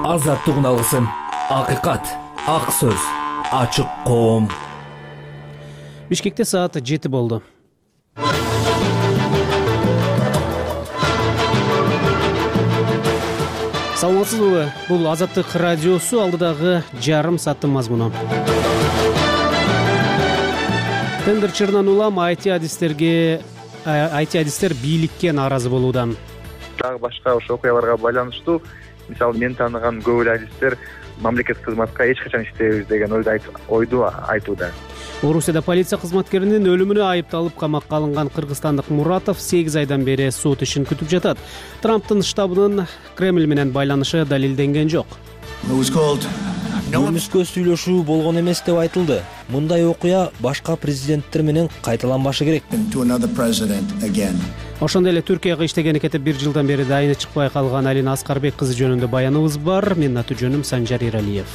Азаттыгын алсын. Акыйкат, ак сөз, ачык коом. Бишкекте саат 7 болду. Саламатсызбы? Бул Азаттык радиосу, алдыдагы жарым сааттын мазмуну. Тендер чырынан улам IT-адистер бийликке нааразы болууда. Дагы башка ошо окуяларга байланыштуу, мисалы мен тааныган көп эле адистер мамлекеттик кызматка эч качан иштебейбиз деген ойду айтууда. Орусияда полиция кызматкеринин өлүмүнө айыпталып камакка алынган кыргызстандык Муратов 8 айдан бери сот ишин күтүп жатат. Трамптын штабынын Кремль менен байланышы далилденген жок. Көрмүскө сүйлөшүү болгон эмес деп айтылды. Мындай окуя башка президенттер менен кайталанбашы керек. Ошондой эле Түркияга иштегени кетип 1 жылдан бери дайыны чыкпай калган Алина Аскарбек кызы жөнүндө баяныбыз бар. Менин аты жөнүм Санжар Иралиев.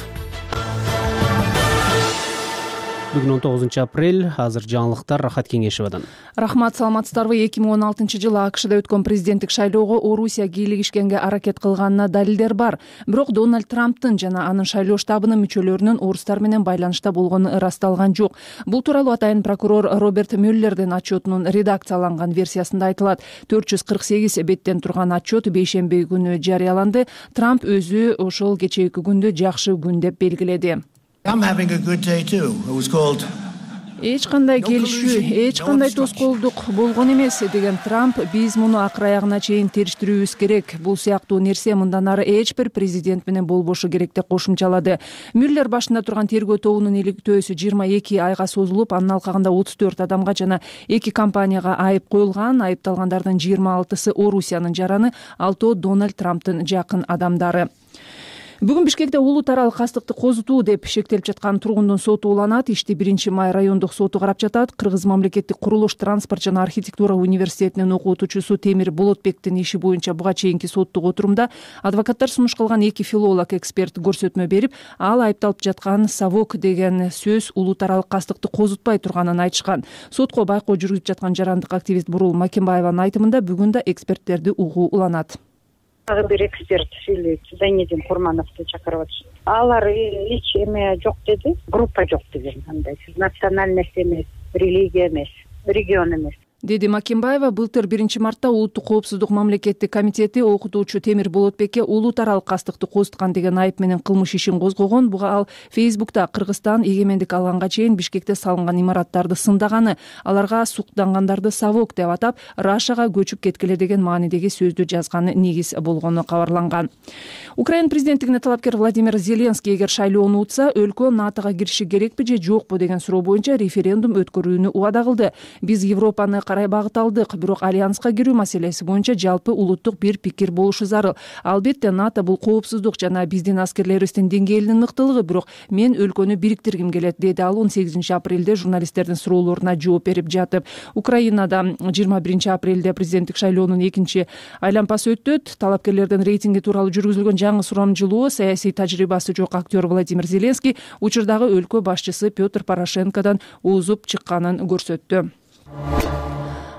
Бүгүн 19 апрель, азыр жаңылыктар Рахат Кеңешевадан. Рахмат, саламатсыздарбы? 2016-жылы АКШда өткөн президенттик шайлоого Орусия кийлигишкенге аракет кылганына далилдер бар. Бирок Дональд Трамптын жана анын шайлоо штабынын мүчөлөрүнүн орустар менен байланышта болгону ырасталган жок. Бул тууралуу атайын прокурор Роберт Мюллердин отчетунун редакцияланган версиясында айтылат. 448 беттен турган отчет бейшемби күнү жарыяланды. Трамп өзү ошол кечээки күндү жакшы күн деп белгиледи. Эч кандай келишүү, эч кандай тоскоолдук болгон эмес деген Трамп, биз муну акыр аягына чейин териштирүүбүз керек. Бул сыяктуу нерсе мындан ары эч бир президент менен болбошу керек деп кошумчалады. Мюллер башында турган тергөө тобунун иликтөөсү 22 айга созулуп, анын алкагында 34 адамга жана 2 компанияга айып коюлган. Айыпталгандардын 26-сы Орусиянын жараны, 6 Дональд Трамптын жакын адамдары. Бүгүн Бишкекте улут аралык кастыкты козутуу деп шектелип жаткан тургундун соту уланат. Ишти 1-май райондук соту карап жатат. Кыргыз мамлекеттик курулуш, транспорт жана архитектура университетинин окутуучусу Темир Болотбектин иши боюнча буга чейинки соттук отурумда адвокаттар сунуш кылган 2 филолог эксперт көрсөтмө берип, ал айыпталып жаткан совок деген сөз улут аралык кастыкты козутпай турганын айтышкан. Сотко байкоо жүргүзүп жаткан жарандык активист Бурул Макимбаеванын айтымында бүгүн да эксперттерди угуу уланат. Дагы бир эксперт сүйлөйт, Зайнедин Курмановду чакырып атышат. Алар эч эме жок деди, группа жок деген, андай национальность эмес, религия эмес, регион эмес, деди Макимбаева. Былтыр 1-мартта Улуттук коопсуздук мамлекеттик комитети окутуучу Темир Болотбекке улут аралык кастыкты козуткан деген айып менен кылмыш ишин козгогон. Буга ал Фейсбукта Кыргызстан эгемендик алганга чейин Бишкекте салынган имараттарды сындаганы, аларга суктангандарды совок деп атап, Рашага көчүп кеткиле деген маанидеги сөздү жазганы негиз болгону кабарланган. Украина президенттигине талапкер Владимир Зеленский эгер шайлоону утса, өлкө НАТОга кириши керекпи же жокпу деген суроо боюнча референдум өткөрүүнү убада кылды. Биз Европаны карай багыт алдык, бирок альянска кирүү маселеси боюнча жалпы улуттук бир пикир болушу зарыл. Албетте НАТО бул коопсуздук жана биздин аскерлерибиздин деңгээлинин мыктылыгы, бирок мен өлкөнү бириктиргим келет, деди ал 18 апрелде журналисттердин суроолоруна жооп берип жатып. Украинада 21 апрелде президенттик шайлоонун 2 айлампасы өтөт. Талапкерлердин рейтинги тууралуу жүргүзүлгөн жаңы сурамжылоо саясий тажрыйбасы жок актер Владимир Зеленский учурдагы өлкө башчысы Петр Порошенкодон узуп чыкканын көрсөттү.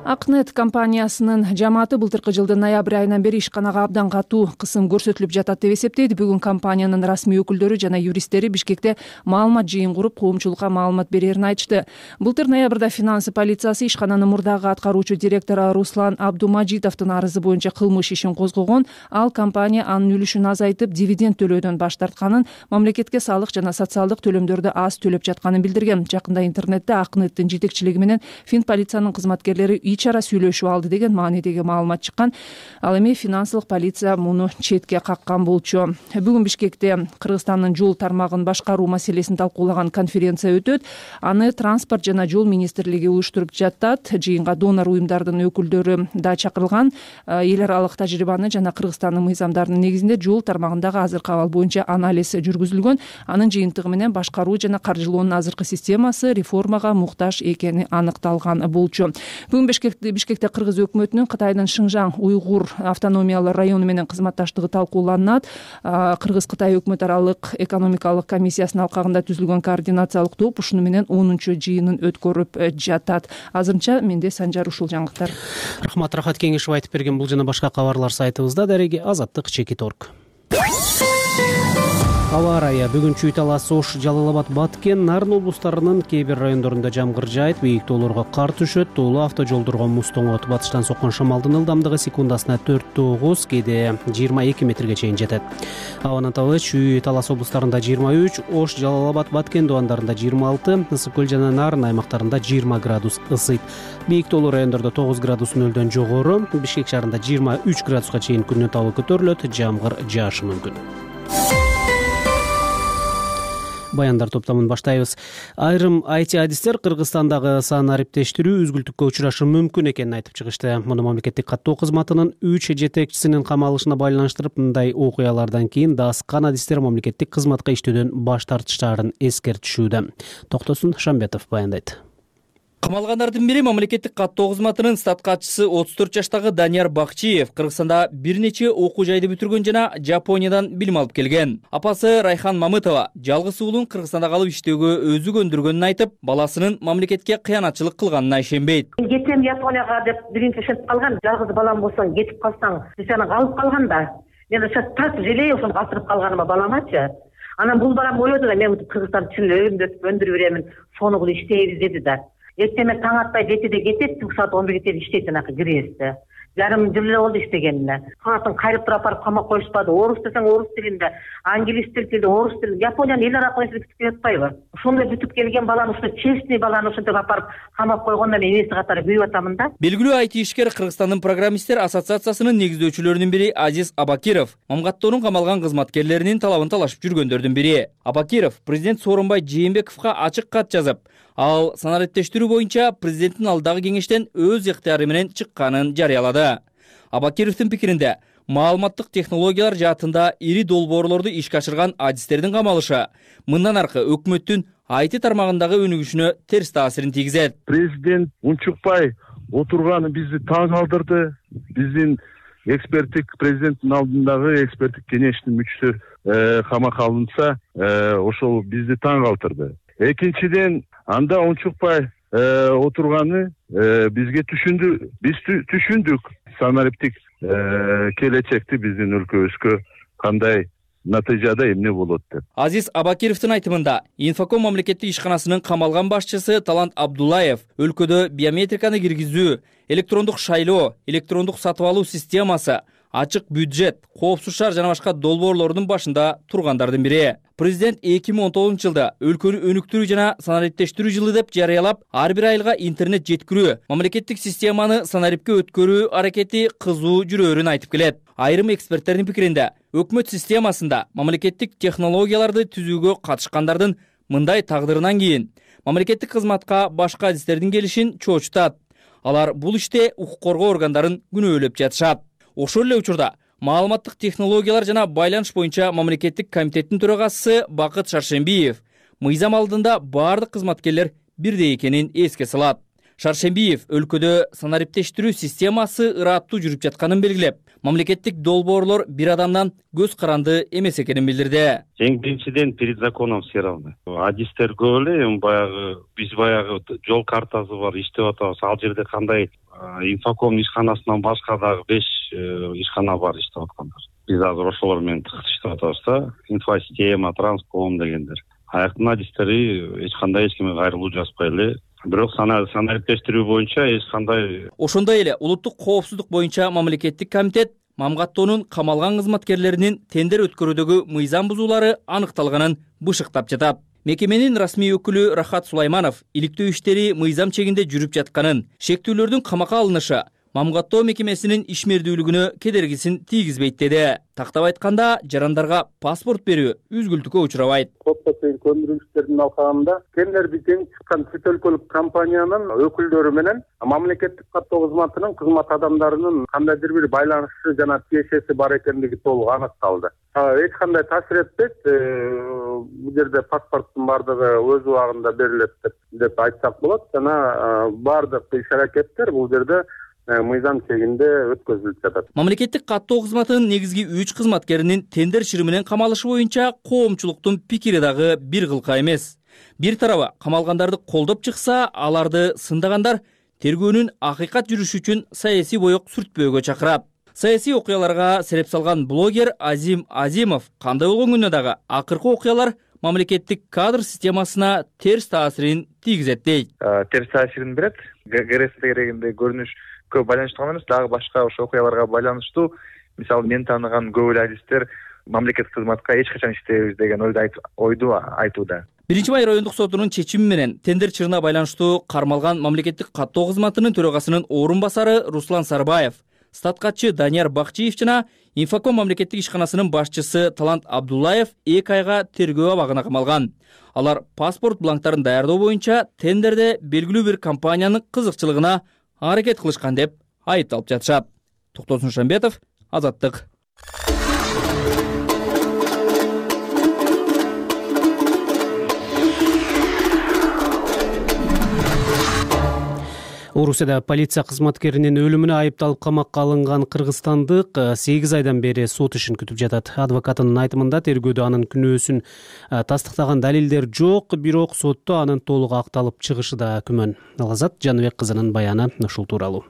Акнет компаниясынын жамааты былтыркы жылдын ноябрь айынан бери ишканага абдан катуу кысым көрсөтүлүп жатат деп эсептейт. Бүгүн компаниянын расмий өкүлдөрү жана юристтери Бишкекте маалымат жыйын куруп, коомчулукка маалымат берерин айтышты. Былтыр ноябрда финансы полициясы ишкананын мурдагы аткаруучу директору Руслан Абдумажитовдун арызы боюнча кылмыш ишин козгогон. Ал компания анын үлүшүн азайтып, дивиденд төлөөдөн баш тартканын, мамлекетке салык жана социалдык төлөмдөрдү аз төлөп жатканын билдирген. Жакында интернетте Акнеттин жетекчилиги менен Финполициянын кызматкерлери ичара сүйлөшүп алды деген маанидеги маалымат чыккан. Ал эми финансылык полиция муну четке каккан болчу. Бүгүн Бишкекте Кыргызстандын жол тармагын башкаруу маселесин талкуулаган конференция өтөт. Аны транспорт жана жол министрлиги уюштуруп жатат. Жыйынга донор уюмдардын өкүлдөрү да чакырылган. Эл аралык тажрыйбаны жана Кыргызстандын мыйзамдарынын негизинде жол тармагындагы азыркы абал боюнча анализ жүргүзүлгөн. Анын жыйынтыгы менен башкаруу жана каржылоонун азыркы системасы реформага муктаж экени аныкталган болчу. Бүгүн Бишкекте Кыргыз өкмөтүнүн Кытайдын Шыңжаң уйгур автономиялык району менен кызматташтыгы талкууланат. Кыргыз-Кытай өкмөт аралык экономикалык комиссиясынын алкагында түзүлгөн координациялык топ ушуну менен 10-чу жыйынын өткөрүп жатат. Азырынча менде Санжар ушул жаңылыктар. Рахмат, Рахат Кеңешев айтып берген. Бул жана башка кабарлар сайтыбызда. Дареги Азаттык _org. Аба ырайы бүгүн Чүй Талас, Ош, Жалал-Абад, Баткен, Нарын облустарынын кээ бир райондорунда жамгыр жаайт, бийик тоолорго кар түшөт, тоолуу автожолдорго муз тоңот. Батыштан соккон шамалдын ылдамдыгы секундасына 4-9, кээде 22 метрге чейин жетет. Абанын табы Чүй Талас облустарында 23, Ош, Жалал-Абад, Баткен дубандарында 26, Ысык көл жана Нарын аймактарында 20 градус ысыйт. Бийик тоолуу райондордо 9 градус нөлдөн жогору, Бишкек шаарында 23 градуска чейин күндүн табы көтөрүлөт, жамгыр жаашы мүмкүн. Баяндар топтомун баштайбыз. Айрым IT адистер Кыргызстандагы санариптештирүү үзгүлтүккө учурашы мүмкүн экенин айтып чыгышты. Муну мамлекеттик каттоо кызматынын 3 жетекчисинин камалышына байланыштырып, мындай окуялардан кийин даскан адистер мамлекеттик кызматка иштөөдөн баш тартыштарын эскертишүүдө. Токтосун Шамбетов баяндайт. Камалгандардын бири мамлекеттик каттоо кызматынын стат катчысы 34 жаштагы Данияр Бакчиев Кыргызстанда бир нече окуу жайды бүтүргөн жана Жапониядан билим алып келген. Апасы Райхан Мамытова жалгыз уулун Кыргызстанда калып иштөөгө өзү көндүргөнүн айтып, баласынын мамлекетке кыянатчылык кылганына ишенбейт. Кетем Японияга деп биринчи ишенип калган, жалгыз балам болсоң кетип калсаң, сен калып калган да. Мен ошо так желей ошону калтырып калганыма баламачы. Анан бул балам ойлоду да, мен Кыргызстан чын өйүмдөп өндүрүп беремин, сону кылып иштейбиз деди да. Эртең таң атпай 7-де кетет, түнкү саат 11-ге чейин иштейт анакы кирээсте. Жарым жыл эле болду иштегенине. Саатын кайрып туруп апарып камап коюшпады. Орус десең орус тилинде, англис тилинде, орус тилинде, Япониянын эл ара коюшуп бүтүп жатпайбы? Ошондой бүтүп келген баланы ушул честный баланы ушинтип апарып камап койгондо мен энеси катары күйүп атамын да. Белгилүү IT ишкер Кыргызстандын программисттер ассоциациясынын негиздөөчүлөрүнүн бири Азиз Абакиров Мамгаттоонун камалган кызматкерлеринин талабын талашып жүргөндөрдүн бири. Абакиров президент Сооронбай Жээнбековго ачык кат жазып, ал санариптештирүү боюнча президенттин алдагы кеңештен өз ыктыяры менен чыкканын жарыялады. Абакировдун пикиринде, маалыматтык технологиялар жаатында ири долбоорлорду ишке ашырган адистердин камалышы мындан аркы өкмөттүн IT тармагындагы өнүгүшүнө терс таасирин тийгизет. Президент унчукпай отурганы бизди таң калтырды. Биздин эксперттик президенттин алдындагы эксперттик кеңештин мүчөсү камакка алынса, ошол бизди таң калтырды. Экинчиден, анда унчукпай отурганы бизге биз түшүндүк санариптик келечекти биздин өлкөбүзгө кандай натыйжада эмне болот деп. Азиз Абакировдун айтымында, Инфоком мамлекеттик ишканасынын камалган башчысы Талант Абдулаев өлкөдө биометриканы киргизүү, электрондук шайлоо, электрондук сатып алуу системасы, ачык бюджет, коопсуз шаар жана башка долбоорлордун башында тургандардын бири. Президент 2019-жылда өлкөнү өнүктүрүү жана санариптештирүү жылы деп жарыялап, ар бир айылга интернет жеткирүү, мамлекеттик системаны санарипке өткөрүү аракети кызуу жүрөөрүн айтып келет. Айрым эксперттердин пикиринде, өкмөт системасында мамлекеттик технологияларды түзүүгө катышкандардын мындай тагдырынан кийин мамлекеттик кызматка башка адистердин келишин чоочутат. Алар бул иште укук коргоо органдарын күнөөлөп жатышат. Ошол эле учурда маалыматтык технологиялар жана байланыш боюнча мамлекеттик комитеттин төрагасы Бакыт Шаршембиев мыйзам алдында бардык кызматкерлер бирдей экенин эске салат. Шаршембиев өлкөдө санариптештирүү системасы ыраттуу жүрүп жатканын белгилеп, мамлекеттик долбоорлор бир адамдан көз каранды эмес экенин билдирди. Эң биринчиден перед законом все равны. Адистер көп эле, биз баягы жол картасы бар, иштеп атабыз. Ал жерде кандай Инфоком ишканасынан башка дагы 5 ишкана бар иштеп аткандар. Биз азыр ошолор менен тыгыз иштеп атабыз да. Инфосистема, транском дегендер. Аяктын адистери эч кимге кайрылуу жазбай эле. Бирок санариптештирүү боюнча эч кандай. Ошондой эле улуттук коопсуздук боюнча мамлекеттик комитет Мамгаттоонун камалган кызматкерлеринин тендер өткөрүүдөгү мыйзам бузуулары аныкталганын бышыктап жатат. Мекеменин расмий өкүлү Рахат Сулайманов иликтөө иштери мыйзам чегинде жүрүп жатканын, шектүүлөрдүн камакка алынышы Мамгаттоо мекемесинин ишмердүүлүгүнө кедергисин тийгизбейт деди. Тактап айтканда, жарандарга паспорт берүү үзгүлтүккө учурабайт. Сотто чейин көндүргүчтөрдүн алкагында тендерди тең чыккан чет өлкөлүк компаниянын өкүлдөрү менен мамлекеттик каттоо кызматынын кызмат адамдарынын кандайдыр бир байланышы жана тиешеси бар экендиги толук аныкталды. Эч кандай таасир этпейт. Бул жерде паспорттун бардыгы өз убагында берилет деп айтсак болот. Жана бардык иш-аракеттер бул жерде мыйзам чегинде өткөзүлүп жатат. Мамлекеттик каттоо кызматынын негизги 3 кызматкеринин тендер чыры менен камалышы боюнча коомчулуктун пикири дагы бир кылка эмес. Бир тарабы камалгандарды колдоп чыкса, аларды сындагандар тергөөнүн акыйкат жүрүшү үчүн саясий боек сүртпөөгө чакырат. Саясий окуяларга сереп салган блогер Азим Азимов кандай болгон күндө дагы акыркы окуялар мамлекеттик кадр системасына терс таасирин тийгизет дейт. Терс таасирин берет. ГРС дегенде көрүнүшкө байланыштуу гана эмес, дагы башка ошо окуяларга байланыштуу. Мисалы, мен тааныган көп эле адистер мамлекеттик кызматка эч качан иштебейбиз деген ойду айтууда. 1-май райондук сотунун чечими менен тендер чырына байланыштуу кармалган мамлекеттик каттоо кызматынын төрагасынын орун басары Руслан Сарбаев, статкатчы Данияр Бакчиев жана Инфоком мамлекеттик ишканасынын башчысы Талант Абдуллаев 2 айга тергөө абагына камалган. Алар паспорт бланктарын даярдоо боюнча тендерде белгилүү бир компаниянын кызыкчылыгына аракет кылышкан деп айыпталып жатышат. Токтосун Шамбетов, Азаттык. Орусияда полиция кызматкеринин өлүмүнө айыпталып камакка алынган кыргызстандык 8 айдан бери сот ишин күтүп жатат. Адвокатынын айтымында тергөөдө анын күнөөсүн тастыктаган далилдер жок, бирок сотто анын толук акталып чыгышы да күмөн. Алазат Жаныбек кызынын баяны ушул тууралуу.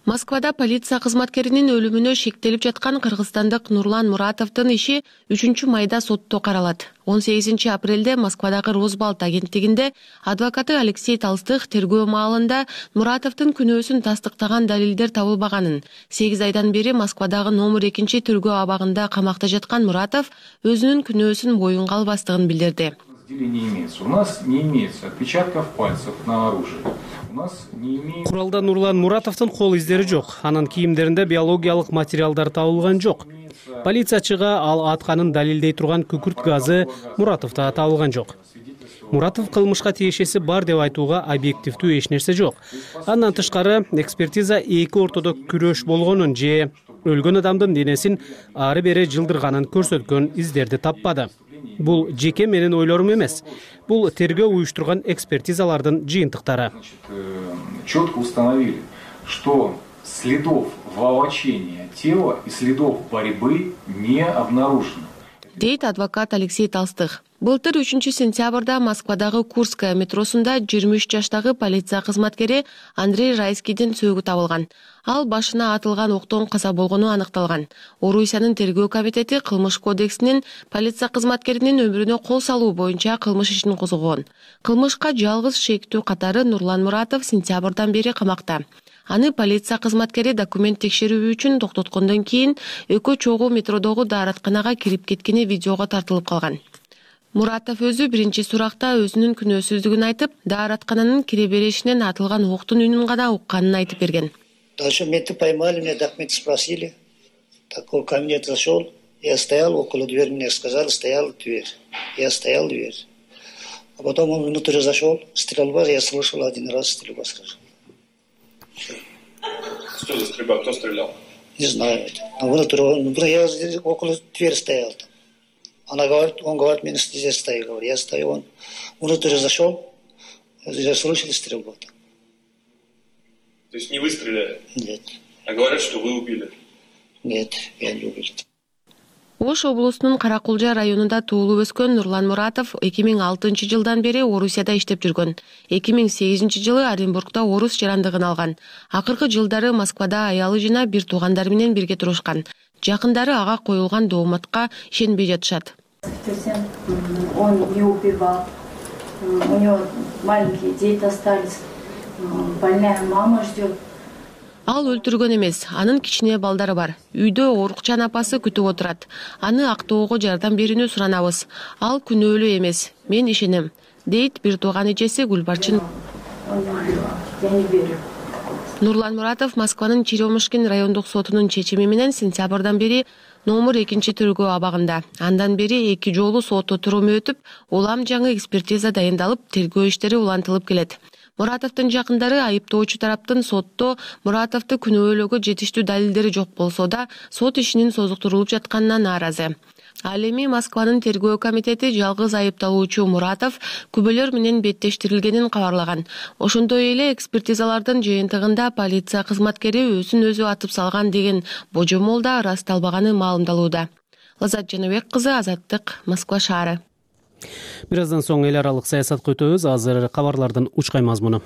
Москвада полиция кызматкеринин өлүмүнө шектелип жаткан кыргызстандык Нурлан Муратовдун иши 3-майда сотто каралат. 18 апрелде Москвадагы Росбалт агенттигинде адвокаты Алексей Толстых тергөө маалында Муратовдун күнөөсүн тастыктаган далилдер табылбаганын, 8 айдан бери Москвадагы номер 2 тергөө абагында камакта жаткан Муратов өзүнүн күнөөсүн боюнга албастыгын билдирди. У нас не имеется отпечатков пальцев на оружии. Куралда Нурлан Муратовдун кол издери жок. Анын кийимдеринде биологиялык материалдар табылган жок. Полициячыга ал атканын далилдей турган күкүрт газы Муратовдо табылган жок. Муратов кылмышка тиешеси бар деп айтууга объективдүү эч нерсе жок. Андан тышкары экспертиза эки ортодо күрөш болгонун же өлгөн адамдын денесин ары бери жылдырганын көрсөткөн издерди таппады. Бул жеке менин ойлорум эмес. Бул тергөө уюштурган экспертизалардын жыйынтыктары. Четко установили, что следов волочения тела и следов борьбы не обнаружено. Дейт адвокат Алексей Толстых. Былтыр 3 сентябрда Москвадагы Курская метросунда 23 жаштагы полиция кызматкери Андрей Райскийдин сөөгү табылган. Ал башына атылган октон каза болгону аныкталган. Орусиянын тергөө комитети кылмыш кодексинин полиция кызматкеринин өмүрүнө кол салуу боюнча кылмыш ишин козгогон. Кылмышка жалгыз шектүү катары Нурлан Муратов сентябрдан бери камакта. Аны полиция кызматкери документ текшерүү үчүн токтоткондон кийин экөө чогуу метродогу дааратканага кирип кеткени видеого тартылып калган. Муратов өзү биринчи суракта өзүнүн күнөөсүздүгүн айтып, даараткананын кире беришинен атылган октун үнүн гана укканын айтып берген. Дальше меня поймали, меня документы спросили. Такой кабинет зашел, я стоял около двери, мне сказали, стояла дверь. Я стоял дверь. А потом он внутрь зашел, стрельба, я слышал один раз стрельба сразу. Что за стрельба? Кто стрелял? Не знаю. Я около двери стоял там. Он говорит, меня здесь стою. Я стою, он внутрь зашел, я слышал стрельбу. То есть не вы стреляли? Нет. А говорят, что вы убили? Нет, я не убил. Ош облусунун Каракулжа районунда туулуп өскөн Нурлан Муратов 2006 жылдан бери Орусияда иштеп жүргөн. 2008 жылы Оренбургда орус жарандыгын алган. Акыркы жылдары Москвада аялы жана бир туугандары менен бирге турушкан. Жакындары ага коюлган дооматка ишенбей жатышат. Он не убивал. У него маленькие дети остались. Больная мама ждет. Ал өлтүргөн эмес, анын кичине балдары бар. Үйдө оорукчан апасы күтүп отурат. Аны актоого жардам берүүнү суранабыз. Ал күнөөлүү эмес, мен ишенем, дейт бир тууган эжеси Гүлбарчын. Нурлан Муратов Москванын Черемушкин райондук сотунун чечими менен сентябрдан бери номер 2 тергөө абагында. Андан бери 2 жолу сот отуруму өтүп, улам жаңы экспертиза дайындалып, тергөө иштери улантылып келет. Муратовдун жакындары айыптоочу тараптын сотто Муратовду күнөөлөөгө жетиштүү далилдери жок болсо да, сот ишинин созуктурулуп жатканына нааразы. Ал эми Москванын тергөө комитети жалгыз айыпталуучу Муратов күбөлөр менен беттештирилгенин кабарлаган. Ошондой эле экспертизалардын жыйынтыгында полиция кызматкери өзүн өзү атып салган деген божомол да ырасталбаганы маалымдалууда. Лазат Жаныбек кызы, Азаттык, Москва шаары. Бир аздан соң эл аралык саясатка өтөбүз. Азыр кабарлардын учкай мазмуну.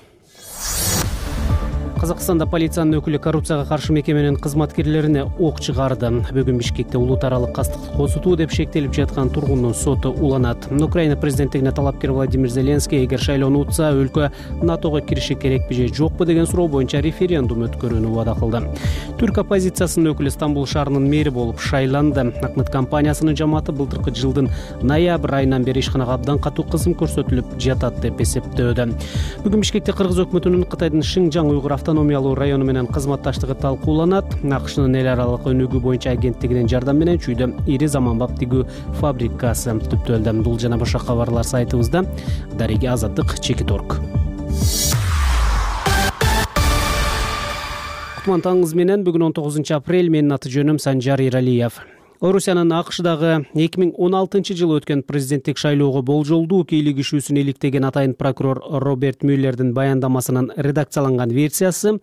Казакстанда полициянын өкүлү коррупцияга каршы мекеменин кызматкерлерине ок чыгарды. Бүгүн Бишкекте улут аралык кастыкты козутуу деп шектелип жаткан тургундун соту уланат. Украина президенттигине талапкер Владимир Зеленский эгер шайлоону утса, өлкө НАТОго кириши керекпи же жокпу деген суроо боюнча референдум өткөрүүнү убада кылды. Түрк оппозициясынын өкүлү Стамбул шаарынын мэри болуп шайланды. Акмыт компаниясынын жамааты былтыркы жылдын ноябрь айынан бери ишканага абдан катуу кысым көрсөтүлүп жатат деп эсептөөдө. Бүгүн Бишкекте Кыргыз өкмөтүнүн Кытайдын Шинжаң уйгур автономиялуу району менен кызматташтыгы талкууланат. АКШнын эл аралык өнүгүү боюнча агенттигинин жардамы менен чүйдө ири заманбап тигүү фабрикасы түптөлдү. Бул жана башка кабарлар сайтыбызда. Дареги Азаттык, Чекиторг. Кутман таңыңыз менен. Бүгүн 19 апрель. Менин аты жөнүм Санжар Иралиев. Орусиянын АКШдагы 2016 жылы өткөн президенттик шайлоого болжолдуу кийлигишүүсүн иликтеген атайын прокурор Роберт Мюллердин баяндамасынын редакцияланган версиясы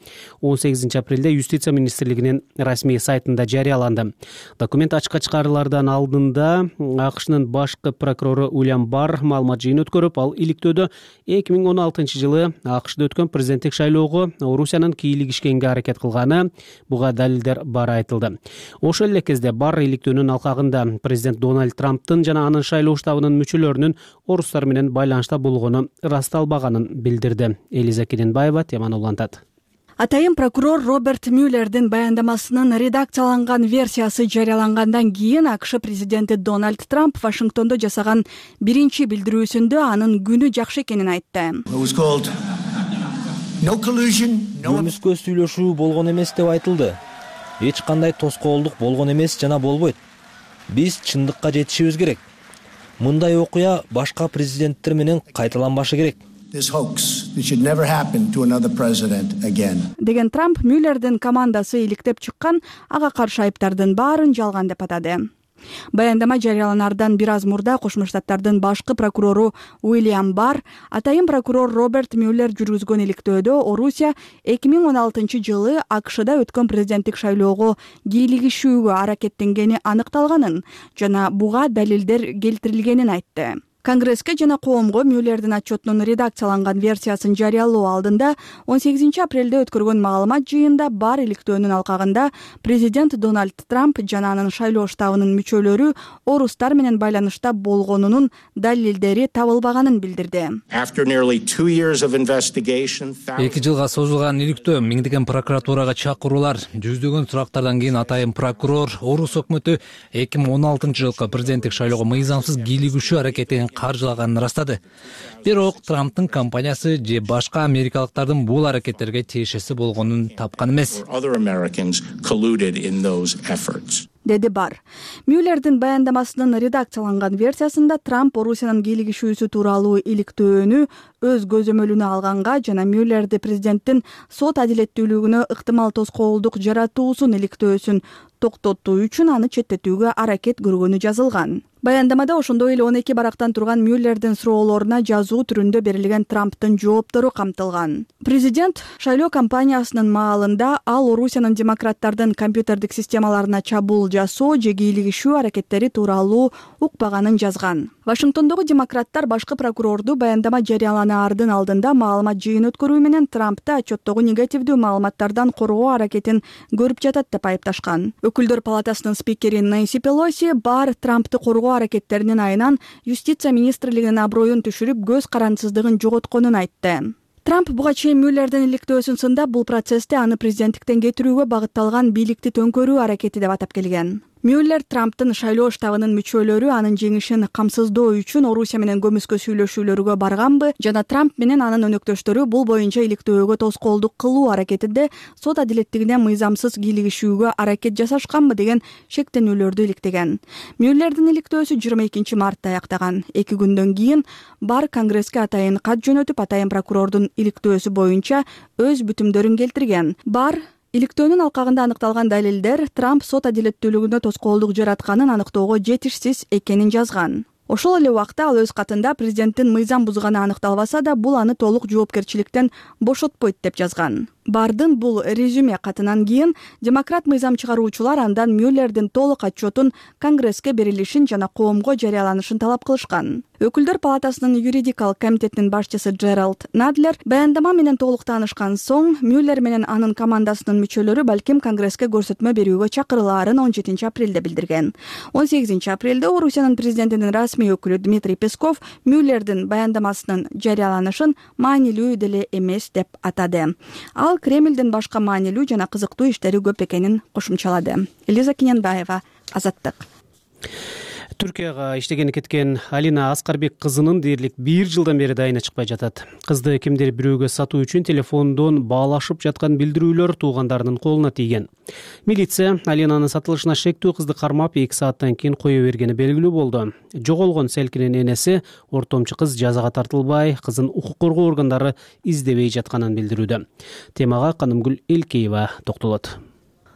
18 апрелде Юстиция министрлигинин расмий сайтында жарыяланды. Документ ачыкка чыгарылардан алдында АКШнын башкы прокурору Уильям Барр маалымат жыйын өткөрүп, ал иликтөөдө 2016 жылы АКШда өткөн президенттик шайлоого Орусиянын кийлигишкенге аракет кылганы, буга далилдер бары айтылды. Ошол эле кезде Барр өнүн алкагында президент Дональд Трамптын жана анын шайлоо штабынын мүчөлөрүнүн орустар менен байланышта болгону ырасталбаганын билдирди. Элиза Керенбаева теманы улантат. Атайын прокурор Роберт Мюллердин баяндамасынын редакцияланган версиясы жарыялангандан кийин АКШ президенти Дональд Трамп Вашингтондо жасаган биринчи билдирүүсүндө анын күнү жакшы экенин айтты. Көмүскө сүйлөшүү болгон эмес деп айтылды. Эч кандай тоскоолдук болгон эмес жана болбойт. Биз чындыкка жетишибиз керек. Мындай окуя башка президенттер менен кайталанбашы керек. Деген Трамп Мюллердин командасы иликтеп чыккан ага каршы айыптардын баарын жалган деп атады. Баяндама жарыяланардан бир аз мурда Кошмо Штаттардын башкы прокурору Уильям Барр атайын прокурор Роберт Мюллер жүргүзгөн иликтөөдө Орусия 2016 жылы АКШда өткөн президенттик шайлоого кийлигишүүгө аракеттенгени аныкталганын жана буга далилдер келтирилгенин айтты. Конгресске жана коомго Мюллердин отчетунун редакцияланган версиясын жарыялоо алдында 18 апрелде өткөргөн маалымат жыйында Бар иликтөөнүн алкагында президент Дональд Трамп жана анын шайлоо штабынын мүчөлөрү орустар менен байланышта болгонунун далилдери табылбаганын билдирди. 2 жылга созулган иликтөө, миңдеген прокуратурага чакыруулар, жүздөгөн сурактардан кийин атайын прокурор орус өкмөтү 2016 жылкы президенттик шайлоого мыйзамсыз кийлигишүү аракетин каржылаганын ырастады. Бирок Трамптын компаниясы же башка америкалыктардын бул аракеттерге тиешеси болгонун тапкан эмес. Деди Бар. Мюллердин баяндамасынын редакцияланган версиясында Трамп Орусиянын кийлигишүүсү тууралуу иликтөөнү өз көзөмөлүнө алганга жана Мюллерди президенттин сот адилеттүүлүгүнө ыктымал тоскоолдук жаратуусун иликтөөсүн токтотуу үчүн аны четтетүүгө аракет көргөнү жазылган. Баяндамада ошондой эле 12 барактан турган Мюллердин суроолоруна жазуу түрүндө берилген Трамптын жооптору камтылган. Президент шайлоо кампаниясынын маалында ал Орусиянын демократтардын компьютердик системаларына чабуул жасоо же кийлигишүү аракеттери тууралуу укпаганын жазган. Вашингтондогу демократтар башкы прокурорду баяндама жарыяланаардын алдында маалымат жыйын өткөрүү менен Трампты отчеттогу негативдүү маалыматтардан коргоо аракетин көрүп жатат деп айыпташкан. Өкүлдөр палатасынын спикери Нэнси Пелоси Бар Трампты коргоо аракеттеринин айынан Юстиция министрлигинин аброюн түшүрүп, көз карандысыздыгын жоготконун айтты. Трамп буга чейин Мюллердин иликтөөсүн сындап, бул процессте аны президенттиктен кетирүүгө багытталган бийликти төңкөрүү аракети деп атап келген. Мюллер Трамптын шайлоо штабынын мүчөлөрү анын жеңишин камсыздоо үчүн Орусия менен көмүскө сүйлөшүүлөргө барганбы жана Трамп менен анын өнөктөштөрү бул боюнча иликтөөгө тоскоолдук кылуу аракетинде сот адилеттигине мыйзамсыз кийлигишүүгө аракет жасашканбы деген шектенүүлөрдү иликтеген. Мюллердин иликтөөсү 22 мартта аяктаган. 2 күндөн кийин Бар Конгресске атайын кат жөнөтүп, атайын прокурордун иликтөөсү боюнча өз бүтүмдөрүн келтирген. Бар иликтөөнүн алкагында аныкталган далилдер Трамп сот адилеттүүлүгүнө тоскоолдук жаратканын аныктоого жетишсиз экенин жазган. Ошол эле убакта ал өз катында президенттин мыйзам бузганы аныкталбаса да, бул аны толук жоопкерчиликтен бошотпойт деп жазган. Бардын бул резюме катынан кийин демократ мыйзам чыгаруучулар андан Мюллердин толук отчетун Конгресске берилишин жана коомго жарыяланышын талап кылышкан. Өкүлдөр палатасынын юридикалык комитетинин башчысы Джеральд Надлер баяндама менен толук таанышкан соң Мюллер менен анын командасынын мүчөлөрү балким Конгресске көрсөтмө берүүгө чакырылаарын 17 апрелде билдирген. 18 апрелде Орусиянын президентинин расмий өкүлү Дмитрий Песков Мюллердин баяндамасынын жарыяланышын маанилүү деле эмес деп атады. Ал Кремлдин башка маанилүү жана кызыктуу иштери көп экенин кошумчалады. Элиза Кененбаева, Азаттык. Түркияга иштегени кеткен Алина Аскарбек кызынын дээрлик 1 жылдан бери дайыны чыкпай жатат. Кызды кимдир бирөөгө сатуу үчүн телефондон баалашып жаткан билдирүүлөр туугандарынын колуна тийген. Милиция Алинанын сатылышына шектүү кызды кармап 2 сааттан кийин кое бергени белгилүү болду. Жоголгон Селкинин энеси ортомчу кыз жазага тартылбай, кызын укук коргоо органдары издебей жатканын билдирүүдө. Темага Канымгүл Элкеева токтолот.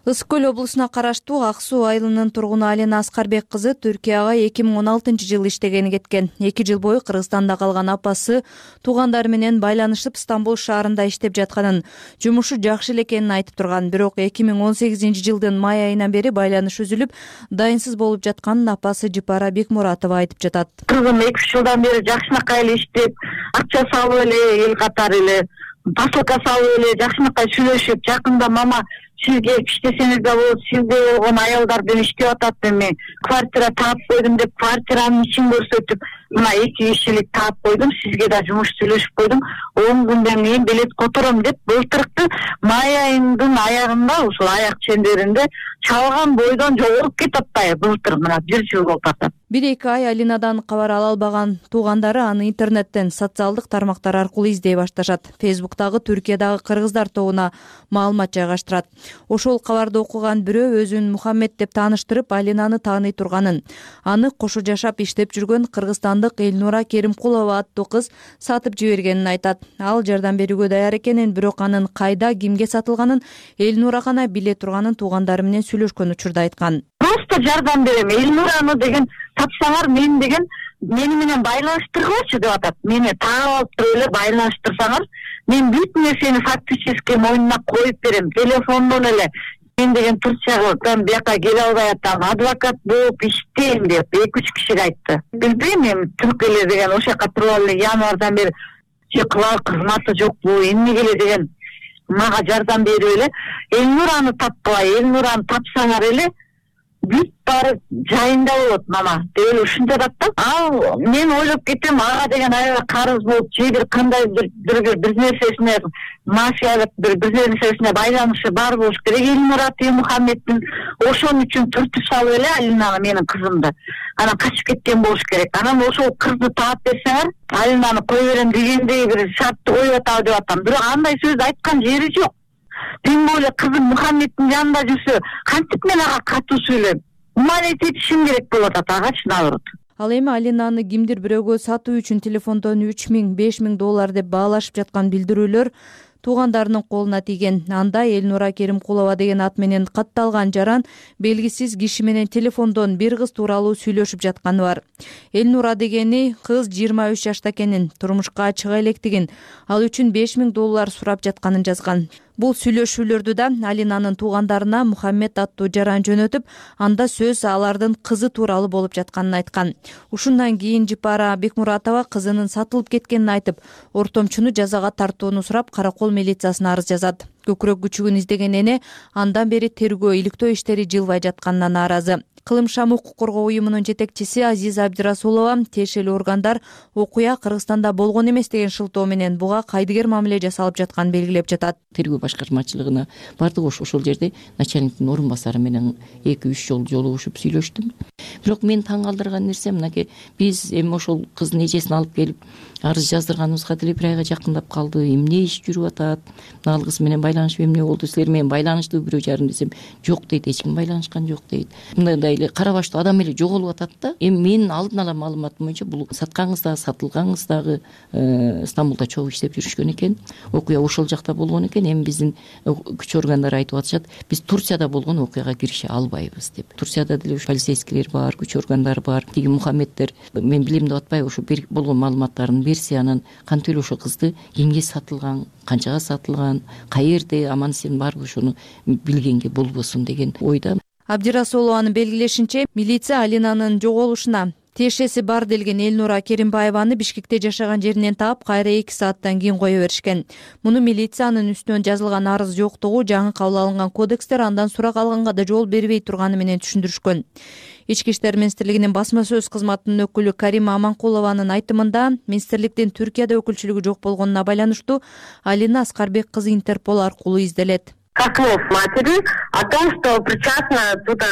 Ысык көл облусуна караштуу Ак Суу айылынын тургуну Алина Аскарбек кызы Түркияга 2016-жылы иштегени кеткен. 2 жыл бою Кыргызстанда калган апасы туугандары менен байланышып Стамбул шаарында иштеп жатканын, жумушу жакшы эле экенин айтып турган. Бирок 2018-жылдын май айынан бери байланыш үзүлүп, дайынсыз болуп жатканын апасы Жипара Бекмуратова айтып жатат. Кызым 2 жылдан бери жакшынакай эле иштеп, акча салып эле, эл катары эле посылка салып эле жакшынакай сүйлөшүп, жакында мама сизге иштесеңиз да болот, сизде болгон аялдардан иштеп атат эми, квартира таап койдум деп квартиранын ичин көрсөтүп, мына 2 кишилик таап койдум, сизге да жумуш сүйлөшүп койдум, 10 күндөн кийин билет котором деп былтыркы май айынын аягында ушул аяк чендеринде чалган бойдон жоголуп кетип атпайбы, былтыр мына 1 жыл болуп атат. 1-2 ай Алинадан кабар ала албаган туугандары аны интернеттен, социалдык тармактар аркылуу издей башташат. Фейсбуктагы Түркиядагы кыргыздар тобуна маалымат жайгаштырат. Ошол кабарды окуган бирөө өзүн Мухаммед деп тааныштырып, Алинаны тааный турганын, аны кошо жашап иштеп жүргөн кыргызстандык Элнура Керимкулова аттуу кыз сатып жибергенин айтат. Ал жардам берүүгө даяр экенин, бирок анын кайда, кимге сатылганын Элнура гана биле турганын туугандары менен сүйлөшкөн учурда айткан. Просто жардам берем, Элнураны деген тапсаңар, мен деген мени менен байланыштыргычы деп атат. Мени таап алып туруп эле байланыштырсаңар, мен бүт нерсени фактически мойнуна коюп берем, телефондон эле. Мен деген Турциядан бияка келе албай атам, адвокат болуп иштейм деп 2-3 кишиге айтты. Билбейм, мен Түркиялер деген ошол жака туруп эле январдан бери кылар кызматы жокпу, эмне келе деген мага жардам берип эле Элнураны тапкылай, Элнураны тапсаңар эле бүт баары жайында болот мама деп эле ушинтип атат да. Ал мен ойлоп кетем, ага деген аябай карыз болуп, же бир кандайдыр бир нерсесине мафиялык бир нерсесине байланышы бар болуш керек. Элнура Мухаммеддин ошон үчүн түртүп салып эле Алинаны, менин кызымды, анан качып кеткен болуш керек. Анан ошол кызды таап берсеңер, Алинаны кое берем дегендей бир шартты коюп атабы деп атам. Бирок андай сөздү айткан жери жок. Тем более кызым Мухаммеддин жанында жүрсө, кантип мен ага катуу сүйлөйм? Умалейт этишим керек болуп атат агачы, наоборот. Ал эми Алинаны кимдир бирөөгө сатуу үчүн телефондон 3000–5000 доллар деп баалашып жаткан билдирүүлөр туугандарынын колуна тийген. Анда Элнура Керимкулова деген ат менен катталган жаран белгисиз киши менен телефондон бир кыз тууралуу сүйлөшүп жатканы бар. Элнура дегени кыз 23 жашта экенин, турмушка чыга электигин, ал үчүн 5000 доллар сурап жатканын жазган. Бул сүйлөшүүлөрдү да Алинанын туугандарына Мухаммед аттуу жаран жөнөтүп, анда сөз алардын кызы тууралуу болуп жатканын айткан. Ушундан кийин Жипара Бекмуратова кызынын сатылып кеткенин айтып, ортомчуну жазага тартууну сурап, Каракол милициясына арыз жазат. Көкүрөк күчүгүн издеген эне андан бери тергөө, иликтөө иштери жылбай жатканына нааразы. Кылымшам укук коргоо уюмунун жетекчиси Азиза Абдирасулова тиешелүү органдар окуя Кыргызстанда болгон эмес деген шылтоо менен буга кайдыгер мамиле жасалып жатканын белгилеп жатат. Тергөө башкармачылыгына бардык, ошол жерде начальниктин орун басары менен 2-3 жолу жолугушуп сүйлөштүм. Бирок мени таң калтырган нерсе мынакей, биз эми ошол кыздын эжесин алып келип арыз жаздырганыбызга деле 1 айга жакындап калды. Эмне иш жүрүп атат? Ал кыз менен байланышып эмне болду? Силер менен байланыштуу бирөө жарым десем, жок дейт, эч ким байланышкан жок дейт. Мындай эле кара баштуу адам эле жоголуп атат да. Эми менин алдын ала маалыматым боюнча бул саткан кыз дагы, сатылган кыз дагы Стамбулда чогуу иштеп жүрүшкөн экен. Окуя ошол жакта болгон экен. Эми биздин күч органдары айтып атышат, биз Турцияда болгон окуяга кирише албайбыз деп. Турцияда деле полицейскийлер бар, күч органдары бар. Тиги Мухаммеддер мен билем деп атпайбы, ошо болгон маалыматтарын берсе, анан кантип эле ошо кызды кимге сатылган, канчага сатылган, каерде, аман эсен барбы, ошону билгенге болбосун деген ойда. Абдирасулованын белгилешинче, милиция Алинанын жоголушуна тиешеси бар делген Элнура Керимбаеваны Бишкекте жашаган жеринен таап, кайра 2 сааттан кийин кое беришкен. Муну милициянын үстүнөн жазылган арыз жоктугу, жаңы кабыл алынган кодекстер андан сурак алганга да жол бербей турганы менен түшүндүрүшкөн. Ички иштер министрлигинин басма сөз кызматынын өкүлү Карима Аманкулованын айтымында, министрликтин Түркияда өкүлчүлүгү жок болгонуна байланыштуу Алина Аскарбек кызы Интерпол аркылуу изделет. Как слов матери о том, что причастна туда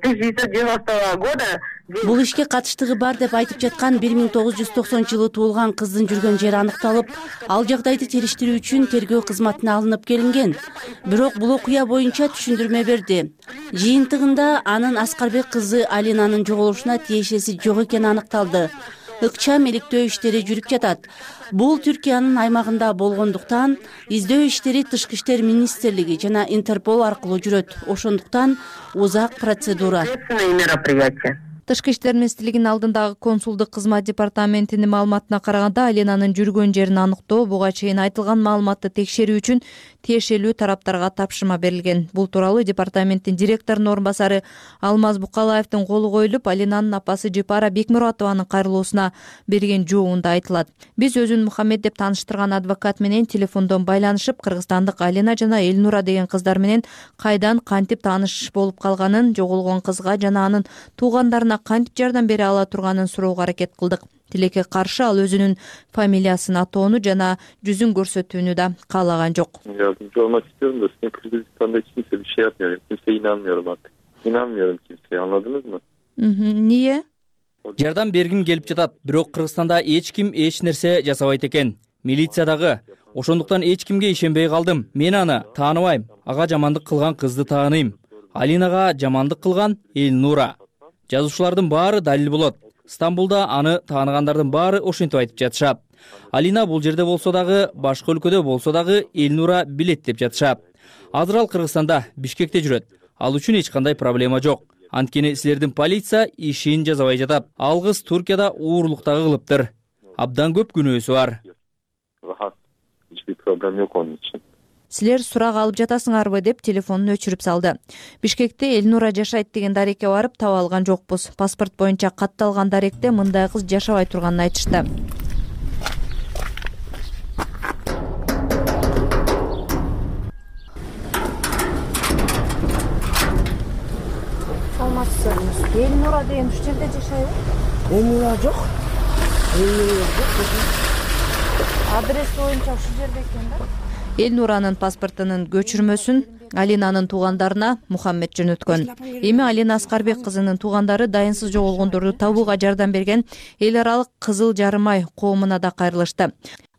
1990 года. Бул ишке катыштыгы бар деп айтып жаткан 1990-жылы туулган кыздын жүргөн жери аныкталып, ал жагдайды териштирүү үчүн тергөө кызматына алынып келинген. Бирок бул окуя боюнча түшүндүрмө берди. Жыйынтыгында анын Аскарбек кызы Алинанын жоголушуна тиешеси жок экени аныкталды. Ыкчам иликтөө иштери жүрүп жатат. Бул Түркиянын аймагында болгондуктан издөө иштери Тышкы иштер министрлиги жана Интерпол аркылуу жүрөт. Ошондуктан узак процедура. Тышкы иштер министрлигинин алдындагы консулдук кызмат департаментинин маалыматына караганда, Алинанын жүргөн жерин аныктоо, буга чейин айтылган маалыматты текшерүү үчүн тиешелүү тараптарга тапшырма берилген. Бул тууралуу департаменттин директорунун орун басары Алмаз Букалаевдин колу коюлуп, Алинанын апасы Жипара Бекмуратованын кайрылуусуна берген жообунда айтылат. Биз өзүн Мухаммед деп тааныштырган адвокат менен телефондон байланышып, кыргызстандык Алина жана Элнура деген кыздар менен кайдан кантип тааныш болуп калганын, жоголгон кызга жана анын туугандарына кантип жардам бере ала турганын суроого аракет кылдык. Тилекке каршы ал өзүнүн фамилиясын атоону жана жүзүн көрсөтүүнү да каалаган жок. Yardımcı olmak istiyorum da sizin Kırgızistan'da hiç kimse bir şey yapmıyor. Kimseye inanmıyorum artık. İnanmıyorum kimseye, anladınız mı? Niye? Жардам бергим келип жатат, бирок Кыргызстанда эч ким эч нерсе жасабайт экен. Милициядагы. Ошондуктан эч кимге ишенбей калдым. Мен аны тааныбайм. Ага жамандык кылган кызды тааныйм. Алинага жамандык кылган Элнура. Жазуучулардын баары далил болот. Стамбулда аны тааныгандардын баары ошентип айтып жатышат. Алина бул жерде болсо дагы, башка өлкөдө болсо дагы Элнура билет деп жатышат. Азыр ал Кыргызстанда, Бишкекте жүрөт. Ал үчүн эч кандай проблема жок. Анткени силердин полиция ишин жасабай жатат. Ал кыз Туркияда уурлуктагы кылыптыр. Абдан көп күнөөсү бар. Hiçbir problem yok onun için. Силер сурак алып жатасыңарбы деп телефонун өчүрүп салды. Бишкекте Элнура жашайт деген дарекке барып таба алган жокпуз. Паспорт боюнча катталган даректе мындай кыз жашабай турганын айтышты. Саламатсызбы. Элнура деген ушул жерде жашайбы? Элнура жок. Адрес боюнча ушул жерде экен да. Элнуранын паспортунун көчүрмөсүн Алинанын туугандарына Мухаммед жөнөткөн. Эми Алина Аскарбек кызынын туугандары дайынсыз жоголгондорду табууга жардам берген эл аралык Кызыл Жарым ай коомуна да кайрылышты.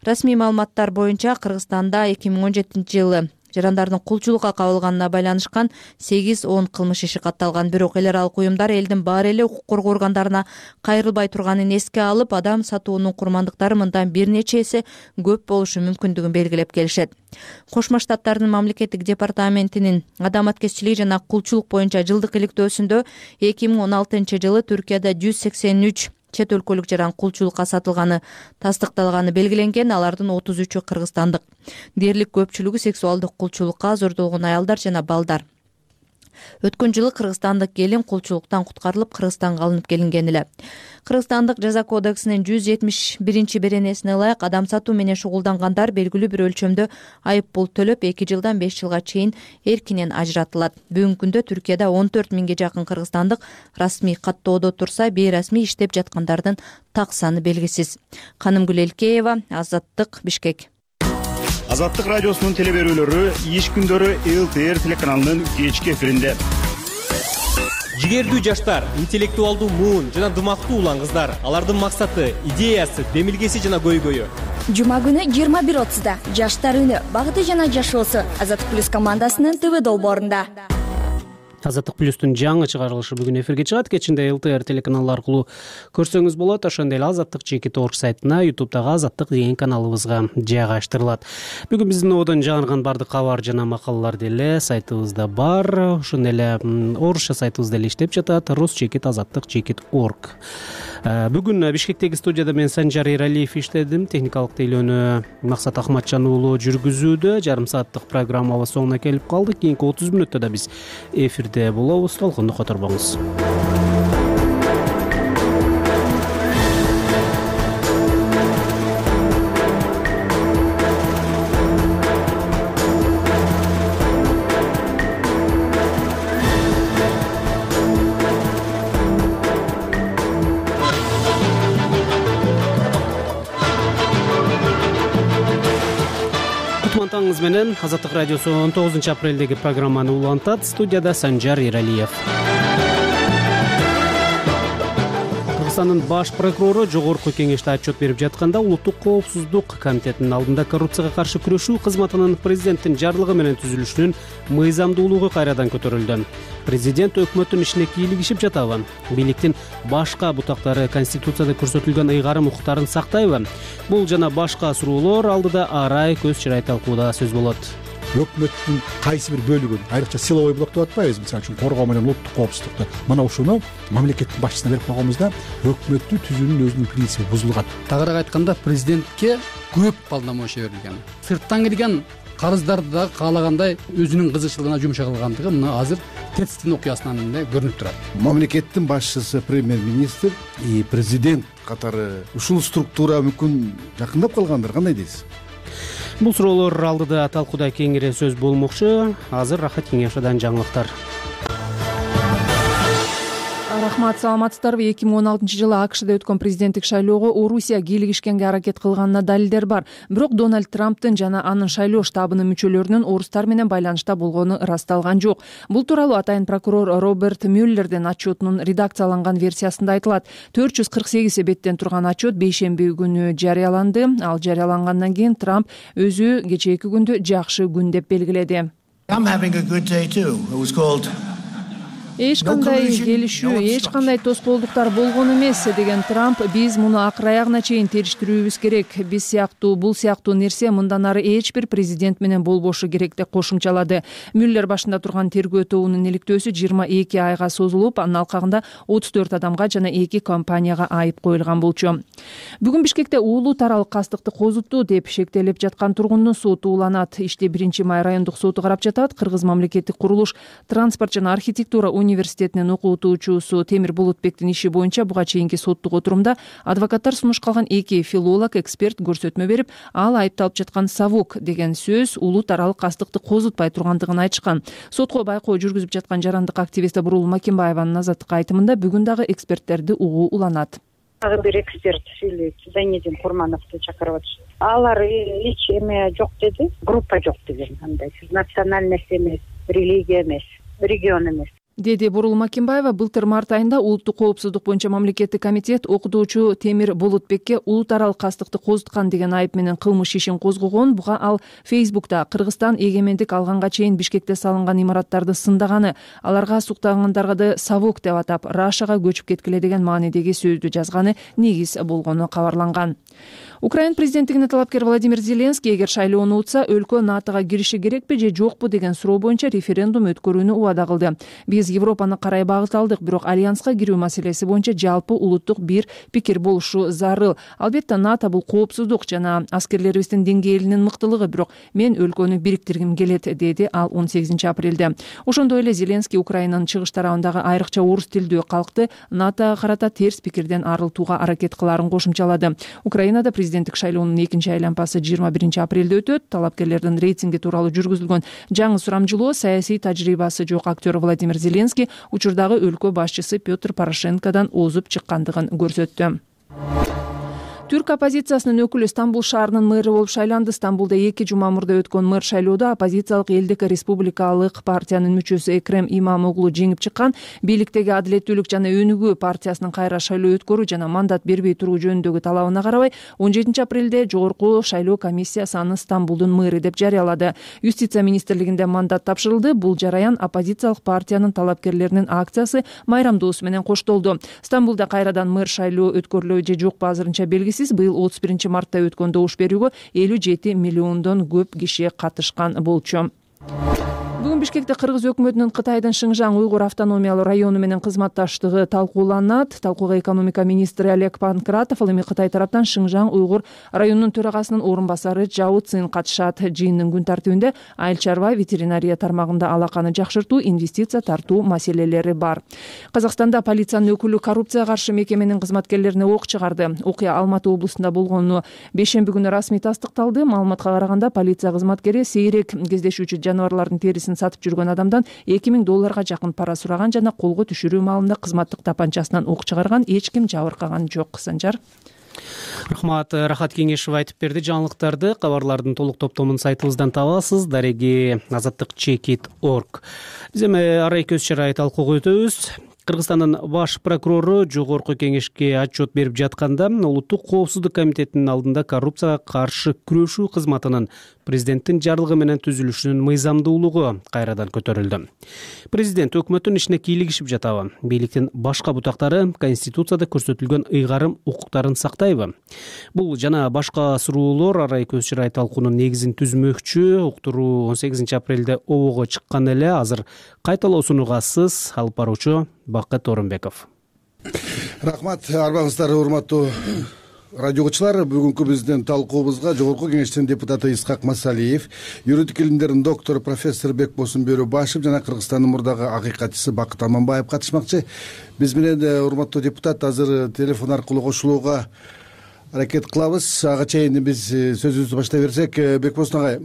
Расмий маалыматтар боюнча Кыргызстанда 2017-жылы жарандардын кулчулукка кабылганына байланышкан 8-10 кылмыш иши катталган. Бирок эл аралык уюмдар элдин баары эле укук коргоо органдарына кайрылбай турганын эске алып, адам сатуунун курмандыктары мындан бир нече эсе көп болушу мүмкүндүгүн белгилеп келишет. Кошмо Штаттардын мамлекеттик департаментинин адам аткезчилиги жана кулчулук боюнча жылдык иликтөөсүндө 2016-жылы Түркияда 183 чет өлкөлүк жаран кулчулукка сатылганы тастыкталганы белгиленген. Алардын 33-ü кыргызстандык. Дээрлик көпчүлүгү сексуалдык кулчулукка зордолгон аялдар жана балдар. Өткөн жылы кыргызстандык келин кулчулуктан куткарылып Кыргызстанга алынып келинген эле. Кыргызстандык жаза кодексинин 171-беренесине ылайык адам сатуу менен шугулдангандар белгилүү бир өлчөмдө айып пул төлөп 2 жылдан 5 жылга чейин эркинен ажыратылат. Бүгүнкү күндө Түркияда 14 миңге жакын кыргызстандык расмий каттоодо турса, бейрасмий иштеп жаткандардын так саны белгисиз. Канымгүл Элкеева, Азаттык, Бишкек. Азаттык радиосунун телеберүүлөрү иш күндөрү ЛТР телеканалынын кечки эфиринде. Жигердүү жаштар, интеллектуалдуу муун жана дымактуу улан кыздар. Алардын максаты, идеясы, демилгеси жана көйгөйү. Жума күнү 21:30-да жаштар үнү, багыты жана жашоосу Азаттык плюс командасынын ТВ долбоорунда. Азаттык плюстун жаңы чыгарылышы бүгүн эфирге чыгат. Кечинде ЛТР телеканалы аркылуу көрсөңүз болот. Ошондой эле azattik.org сайтына, YouTube'дагы Азаттык деген каналыбызга жайгаштырылат. Бүгүн биздин одон жаңырган бардык кабар жана макалалар деле сайтыбызда бар. Ошондой эле орусча сайтыбыз деле иштеп жатат. rus.azattik.org. Бүгүн Бишкектеги студияда мен Санжар Эралиев иштедим. Техникалык тейлөөнү Максат Ахматжан уулу жүргүзүүдө. Жарым сааттык программабыз соңуна келип калдык. Кийинки 30 мүнөттө да биз эфирде болобуз. Толкунду которбоңуз. Таңыңыз менен Азаттык радиосу 19 апрелдеги программаны улантат. Студияда Санжар Эралиев. Кыргызстандын баш прокурору жогорку кеңеште отчет берип жатканда Улуттук коопсуздук комитетинин алдында коррупцияга каршы күрөшүү кызматынын президенттин жарлыгы менен түзүлүшүнүн мыйзамдуулугу кайрадан көтөрүлдү. Президент өкмөттүн ишине кийлигишип жатабы? Бийликтин башка бутактары Конституцияда көрсөтүлгөн ыйгарым укуктарын сактайбы? Бул жана башка суроолор алдыда арай көз чырай талкууда сөз болот. Өкмөттүн кайсы бир бөлүгүн, айрыкча силовой блок деп атпайбызбы, мисалы үчүн коргоо менен улуттук коопсуздукту. Мына ушуну мамлекеттин башчысына берип койгонбузда өкмөттү түзүүнүн өзүнүн принциби бузулган. Тагыраак айтканда, президентке көп полномочия берилген. Сырттан келген карыздарды да каалагандай өзүнүн кызыкчылыгына жумшай кылгандыгы мына азыр тетстин окуясынан эле көрүнүп турат. Мамлекеттин башчысы, премьер-министр и президент катары ушул структура мүмкүн жакындап калгандыр, кандай дейсиз? Бул суроолор алдыда талкууда кеңири сөз болмокчу. Азыр Рахат Кеңешовдон жаңылыктар. Рахмат, саламатсыздарбы? 2016 жылы АКШда өткөн президенттик шайлоого Орусия кийлигишкенге аракет кылганына далилдер бар. Бирок Дональд Трамптын жана анын шайлоо штабынын мүчөлөрүнүн орустар менен байланышта болгону ырасталган жок. Бул тууралуу атайын прокурор Роберт Мюллердин отчетунун редакцияланган версиясында айтылат. 448 беттен турган отчет бейшемби күнү жарыяланды. Ал жарыялангандан кийин Трамп өзү кечээки күндү жакшы күн деп белгиледи. Эч кандай келишүү, эч кандай тоскоолдуктар болгон эмес деген Трамп, биз муну акыр аягына чейин териштирүүбүз керек. Биз сыяктуу, бул сыяктуу нерсе мындан ары эч бир президент менен болбошу керек деп кошумчалады. Мюллер башында турган тергөө тобунун иликтөөсү 22 айга созулуп, анын алкагында 34 адамга жана 2 компанияга айып коюлган болчу. Бүгүн Бишкекте уулу таралык кастыкты козутту деп шектелип жаткан тургундун соту уланат. Ишти 1-май райондук соту карап жатат. Кыргыз мамлекеттик курулуш, транспорт жана архитектура университетинин окутуучусу Темир Булутбектин иши боюнча буга чейинки соттук отурумда адвокаттар сунуш калган 2 филолог, эксперт көрсөтмө берип, ал айыпталып жаткан совок деген сөз улут аралык кастыкты козутпай тургандыгын айтышкан. Сотко байкоо жүргүзүп жаткан жарандык активист Бурул Макимбаеванын Азаттыкка айтымында бүгүн дагы эксперттерди угуу уланат. Дагы бир эксперт сүйлөйт, Зайнедин Курмановду чакырып атышты. Алар эч эме жок деди, группа жок деген, андай национальность эмес, религия эмес, регион эмес. Деди Бурул Макимбаева. Былтыр март айында улуттук коопсуздук боюнча мамлекеттик комитет окутуучу Темир Булутбекке улут аралык кастыкты козуткан деген айып менен кылмыш ишин козгогон. Буга ал Фейсбукта Кыргызстан эгемендик алганга чейин Бишкекте салынган имараттарды сындаганы, аларга суктагандарды совок деп атап, Рашага көчүп кеткиле деген маанидеги сөздү жазганы негиз болгону кабарланган. Украина президенттигине талапкер Владимир Зеленский эгер шайлоону утса, өлкө НАТОга кириши керекпи же жокпу деген суроо боюнча референдум өткөрүүнү убада кылды. Биз Европаны карай багыт алдык, бирок альянска кирүү маселеси боюнча жалпы улуттук бир пикир болушу зарыл. Албетте НАТО бул коопсуздук жана аскерлерибиздин деңгээлинин мыктылыгы, бирок мен өлкөнү бириктиргим келет, деди ал 18 апрелде. Ошондой эле Зеленский Украинанын чыгыш тарабындагы айрыкча орус тилдүү калкты НАТОга карата терс пикирден арылтууга аракет кылаарын кошумчалады. Украинада президенттик шайлоонун экинчи айланпасы 21 апрелде өтөт. Талапкерлердин рейтинги тууралуу жүргүзүлгөн жаңы сурамжылоо саясий тажрыйбасы жок актер Владимир Зеленский учурдагы өлкө башчысы Петр Порошенкодон озуп чыккандыгын көрсөттү. Түрк оппозициясынын өкүлү Стамбул шаарынын мэрі болуп шайланды. Стамбулда 2 жума мурда өткөн мэр шайлоодо оппозициялык Элдик республикалык партиянын мүчөсү Экрем Имамоглу жеңип чыккан. Бийликтеги Адилеттүүлүк жана Өнүгүү партиясынын кайра шайлоо өткөрүү жана мандат бербей туруу жөнүндөгү талабына карабай 17 апрелде жогорку шайлоо комиссиясы аны Стамбулдун мэри деп жарыялады. Юстиция министрлигинде мандат тапшырылды. Бул жараян оппозициялык партиянын талапкерлеринин акциясы майрамдоосу менен коштолду. Стамбулда кайрадан мэр шайлоо өткөрүлөбү же жокпу азырынча белгисиз. Быйыл 31 мартта өткөн добуш берүүгө 57 миллиондон көп киши катышкан болчу. Бүгүн Бишкекте Кыргыз өкмөтүнүн Кытайдын Шыңжаң уйгур автономиялуу району менен кызматташтыгы талкууланат. Талкууга экономика министри Олег Панкратов, ал эми Кытай тараптан Шыңжаң уйгур районунун төрагасынын орун басары Жао Цин катышат. Жыйындын күн тартибинде айыл чарба, ветеринария тармагында алаканы жакшыртуу, инвестиция тартуу маселелери бар. Казакстанда полициянын өкүлү коррупцияга каршы мекеменин кызматкерлерине ок чыгарды. Окуя Алматы облусунда болгону бейшемби күнү расмий тастыкталды. Маалыматка караганда полиция кызматкери сейрек кездешүүчү жаныбарлардын терисин сатып жүргөн адамдан $2000 жакын пара сураган жана колго түшүрүү маалында кызматтык тапанчасынан ок чыгарган. Эч ким жабыркаган жок. Санжар. Рахмат, Рахат Кеңешов айтып берди. Жаңылыктарды кабарлардын толук топтомун сайтыбыздан табасыз. Дареги azatdыкchekit.org. Биз эми арай көз чарай талкууга өтөбүз. Кыргызстандын баш прокурору жогорку кеңешке отчет берип жатканда Улуттук коопсуздук комитетинин алдында коррупцияга каршы күрөшүү кызматынын президенттин жарлыгы менен түзүлүшүнүн мыйзамдуулугу кайрадан көтөрүлдү. Президент өкмөттүн ишине кийлигишип жатабы? Бийликтин башка бутактары Конституцияда көрсөтүлгөн ыйгарым укуктарын сактайбы? Бул жана башка суроолор арай көз чарай талкуунун негизин түзмөкчү. Уктуруу 18 апрелде обого чыккан эле. Азыр кайталоосуну сыз алып баруучу Бакыт Орунбеков. Рахмат, арбаңыздар, урматтуу радиогучулар. Бүгүнкү биздин талкуубузга жогорку кеңештин депутаты Исхак Масалиев, юридик илимдердин доктору профессор Бекбосун Бөрөбашев жана Кыргызстандын мурдагы акыйкатчысы Бакыт Аманбаев катышмакчы. Биз менен урматтуу депутат азыр телефон аркылуу кошулууга аракет кылабыз. Ага чейин биз сөзүбүздү баштай берсек, Бекбосун агай,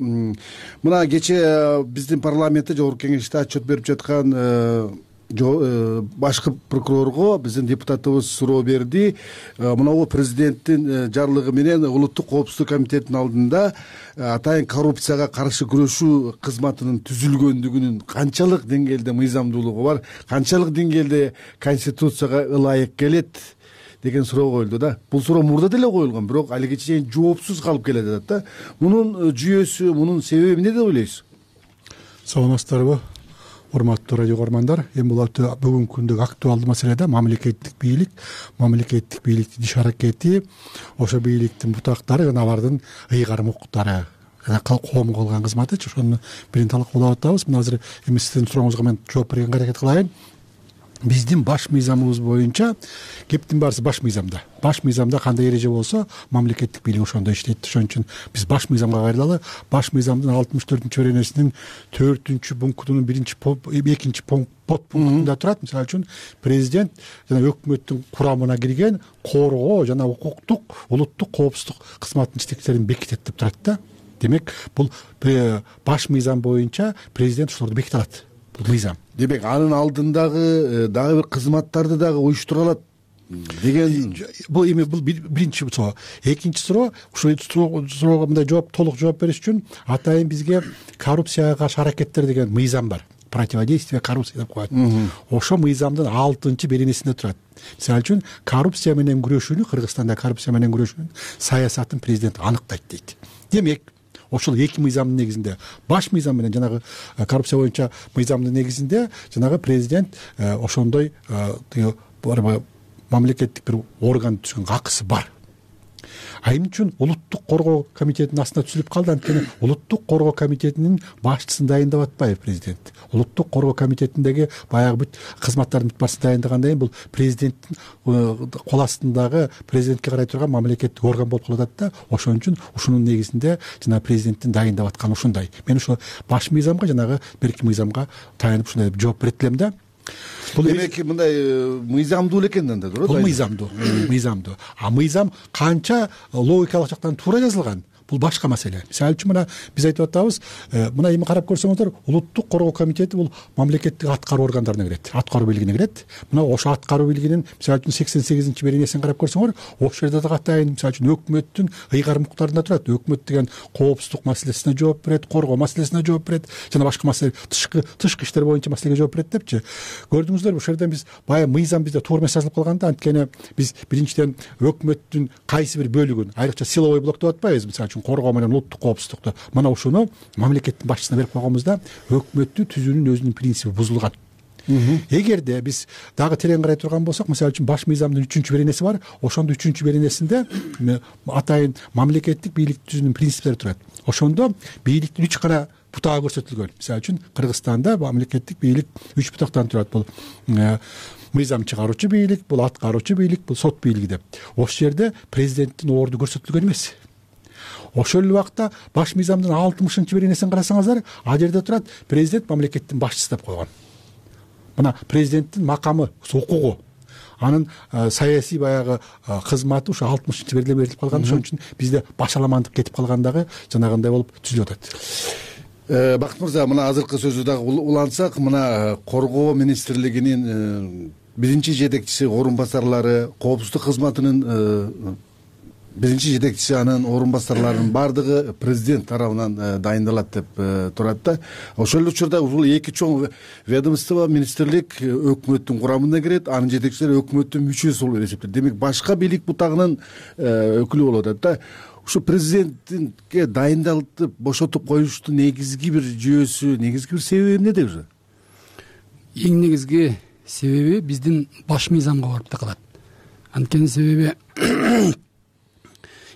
мына кечээ биздин парламентте жогорку кеңеште отчет берип жаткан башкы прокурорго биздин депутатыбыз суроо берди. Мынабу президенттин жарлыгы менен Улуттук коопсуздук комитетинин алдында атайын коррупцияга каршы күрөшүү кызматынын түзүлгөндүгүнүн канчалык деңгээлде мыйзамдуулугу бар, канчалык деңгээлде Конституцияга ылайык келет деген суроо коюлду да. Бул суроо мурда деле коюлган, бирок алиге чейин жоопсуз калып келе жатат да. Мунун жүйөсү, мунун себеби эмне деп ойлойсуз? Саламатсыздарбы, урматтуу радио көрөрмандар. Эми бул бүгүнкү күндөгү актуалдуу маселе да мамлекеттик бийликтин иш аракети, ошо бийликтин бутактары жана алардын ыйгарым укуктары жана коомго кылган кызматычы, ошону бирин талкуулап атабыз. Мына азыр эми сиздин сурооңузга мен жооп бергенге аракет кылайын. Биздин баш мыйзамыбыз боюнча кептин баарысы баш мыйзамда. Баш мыйзамда кандай эреже болсо, мамлекеттик бийлик ошондой иштейт. Ошон үчүн биз баш мыйзамга кайрылалы. Баш мыйзамдын 64-беренесинин 4-пунктунун 2 подпунктунда турат. Мисалы үчүн президент жана өкмөттүн курамына кирген коргоо жана укуктук улуттук коопсуздук кызматынын жетекчилерин бекитет деп турат да. Демек, бул баш мыйзам боюнча президент ошолорду беките алат. Мыйзам. Демек, анын алдындагы дагы бир кызматтарды дагы уюштура алат деген. Бул эми бул биринчи суроо. Экинчи суроо, ушул суроого мындай толук жооп бериш үчүн атайын бизге коррупцияга каршы аракеттер деген мыйзам бар. Противодействие коррупции деп коет. Ошо мыйзамдын 6-беренесинде турат. Мисалы үчүн коррупция менен күрөшүүнү, Кыргызстанда коррупция менен күрөшүүнүн саясатын президент аныктайт дейт. Демек, ошол эки мыйзамдын негизинде, баш мыйзам менен жанагы коррупция боюнча мыйзамдын негизинде жанагы президент ошондой мамлекеттик бир орган түзгөнгө акысы бар. Эмне үчүн улуттук коргоо комитетинин астында түзүлүп калды? Анткени улуттук коргоо комитетинин башчысын дайындап атпайбы президент? Улуттук коргоо комитетиндеги баягы бүт кызматтардын бүт башчысын дайындагандан кийин бул президенттин кол астындагы президентке карай турган мамлекеттик орган болуп калат да. Ошон үчүн ушунун негизинде жана президенттин дайындап атканы ушундай. Мен ошо баш мыйзамга жанагы берки мыйзамга таянып ушундай деп жооп берет элем да. Бул демек мындай мыйзамдуу экен да. Бул мыйзамдуу. А мыйзам канча логикалык жактан туура жазылган, бул башка маселе. Мисалы үчүн мына биз айтып атабыз, мына эми карап көрсөңүздөр, улуттук коргоо комитети бул мамлекеттик аткаруу органдарына кирет, аткаруу бийлигине кирет. Мына ошо аткаруу бийлигинин мисалы үчүн 88 беренесин карап көрсөңөр, ошол жерде да катайын мисалы үчүн өкмөттүн ыйгарым укуктарында турат. Өкмөт деген коопсуздук маселесине жооп берет, коргоо маселесине жооп берет, жана башка маселе тышкы иштер боюнча маселеге жооп берет депчи. Көрдүңүздөрбү, ошол жерден биз баягы мыйзам бизде туура эмес жазылып калган да. Анткени биз биринчиден өкмөттүн кайсы бир бөлүгүн, айрыкча силовой блок деп атпайбыз, мисалы үчүн коргоо менен улуттук коопсуздукту, мына ушуну мамлекеттин башчысына берип койгонбузда өкмөттү түзүүнүн өзүнүн принципи бузулган. Эгерде биз дагы терең карай турган болсок, мисалы үчүн баш мыйзамдын 3-беренеси бар. Ошондо 3-беренесинде атайын мамлекеттик бийлик түзүүнүн принциптери турат. Ошондо бийликтин 3 гана бутагы көрсөтүлгөн. Мисалы үчүн Кыргызстанда мамлекеттик бийлик 3 бутактан турат. Бул мыйзам чыгаруучу бийлик, бул аткаруучу бийлик, бул сот бийлиги деп. Ошол жерде президенттин орду көрсөтүлгөн эмес. Ошол эле убакта баш мыйзамдын 60-беренесин карасаңыздар, ал жерде турат президент мамлекеттин башчысы деп койгон. Мына президенттин макамы, укугу, анын саясий баягы кызматы ушу 60-беренеде берилип калган. Ошон үчүн бизде башаламандык кетип калгандагы жанагындай болуп түзүлүп атат. Бакыт мырза, мына азыркы сөзү дагы улантсак, мына коргоо министрлигинин биринчи жетекчиси, орун басарлары, коопсуздук кызматынын биринчи жетекчиси, анын орун басарларынын баардыгы президент тарабынан дайындалат деп турат да. Ошол эле учурда бул эки чоң ведомство, министрлик өкмөттүн курамына кирет, анын жетекчилери өкмөттүн мүчөсү болуп эсептелет. Демек башка бийлик бутагынын өкүлү болуп атат да. Ушу президентке дайындалып бошотуп коюштун негизги бир жүйөсү, негизги бир себеби эмнеде уже? Эң негизги себеби биздин баш мыйзамга барып такалат. Анткени себеби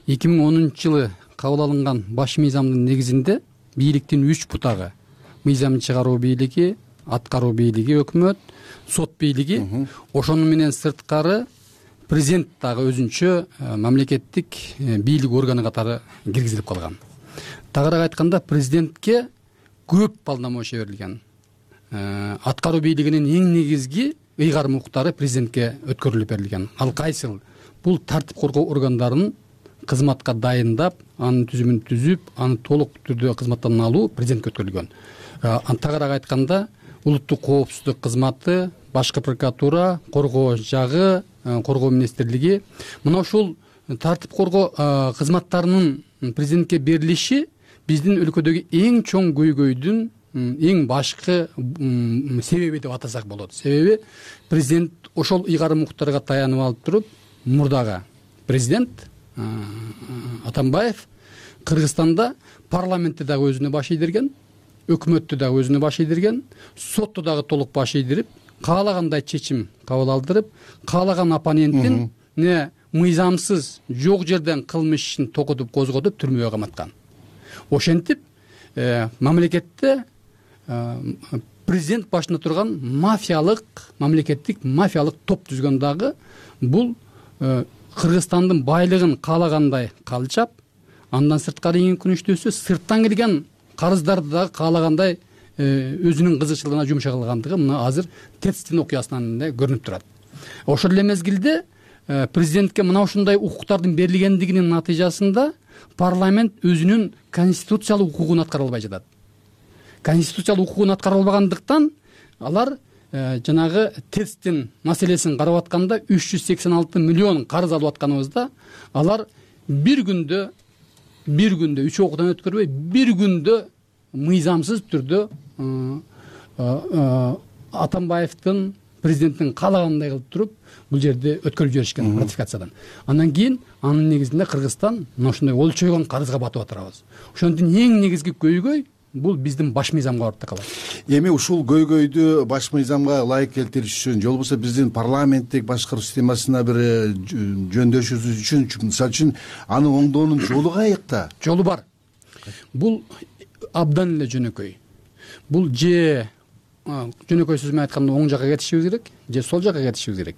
2010 жылы кабыл алынган баш мыйзамдын негизинде бийликтин 3 бутагы, мыйзам чыгаруу бийлиги, аткаруу бийлиги өкмөт, сот бийлиги, ошону менен сырткары президент дагы өзүнчө мамлекеттик бийлик органы катары киргизилип калган. Тагыраак айтканда, президентке көп полномочия берилген. Аткаруу бийлигинин эң негизги ыйгарым укуктары президентке өткөрүлүп берилген. Ал кайсыл? Бул тартип коргоо органдарын кызматка дайындап, анын түзүмүн түзүп, аны толук түрдө кызматтан алуу президентке өткөрүлгөн. Тагыраак айтканда, улуттук коопсуздук кызматы, башкы прокуратура, коргоо жагы, коргоо министрлиги, мына ушул тартип коргоо кызматтарынын президентке берилиши биздин өлкөдөгү эң чоң көйгөйдүн эң башкы себеби деп атасак болот. Себеби президент ошол ыйгарым укуктарга таянып алып туруп, мурдагы президент Атамбаев Кыргызстанда парламентти дагы өзүнө баш ийдирген, өкмөттү дагы өзүнө баш ийдирген, сотту дагы толук баш ийдирип, каалагандай чечим кабыл алдырып, каалаган оппоненттин мыйзамсыз жок жерден кылмыш ишин токотуп, козготуп, түрмөгө каматкан. Ошентип, мамлекетте президент башында турган мамлекеттик мафиялык топ түзгөн дагы бул Кыргызстандын байлыгын каалагандай калчап, андан сырткары эң күнүштүүсү сырттан келген карыздарды дагы каалагандай өзүнүн кызыкчылыгына жумша кылгандыгы мына азыр Тецтин окуясынан көрүнүп турат. Ошол эле мезгилде президентке мына ушундай укуктардын берилгендигинин натыйжасында парламент өзүнүн конституциялык укугун аткара албай жатат. Конституциялык укугун аткара албагандыктан алар жанагы Тецтин маселесин карап атканда 386 миллион карыз алып атканыбызда алар бир күндө 3 окуудан өткөрбөй, бир күндө мыйзамсыз түрдө Атамбаевдин президенттин каалагандай кылып туруп бул жерде өткөрүп жиберишкен ратификациядан. Андан кийин анын негизинде Кыргызстан мына ушундай олчойгон карызга батып атабыз. Ошондон эң негизги көйгөй бул биздин баш мыйзамга барып такалат. Эми ушул көйгөйдү баш мыйзамга ылайык келтириш үчүн, же болбосо биздин парламенттик башкаруу системасына бир жөндөшүш үчүн, мисалы үчүн аны оңдоонун жолу каякта? Жолу бар. Бул абдан эле жөнөкөй. Бул же жөнөкөй сөз менен айтканда оң жакка кетишибиз керек, же сол жакка кетишибиз керек.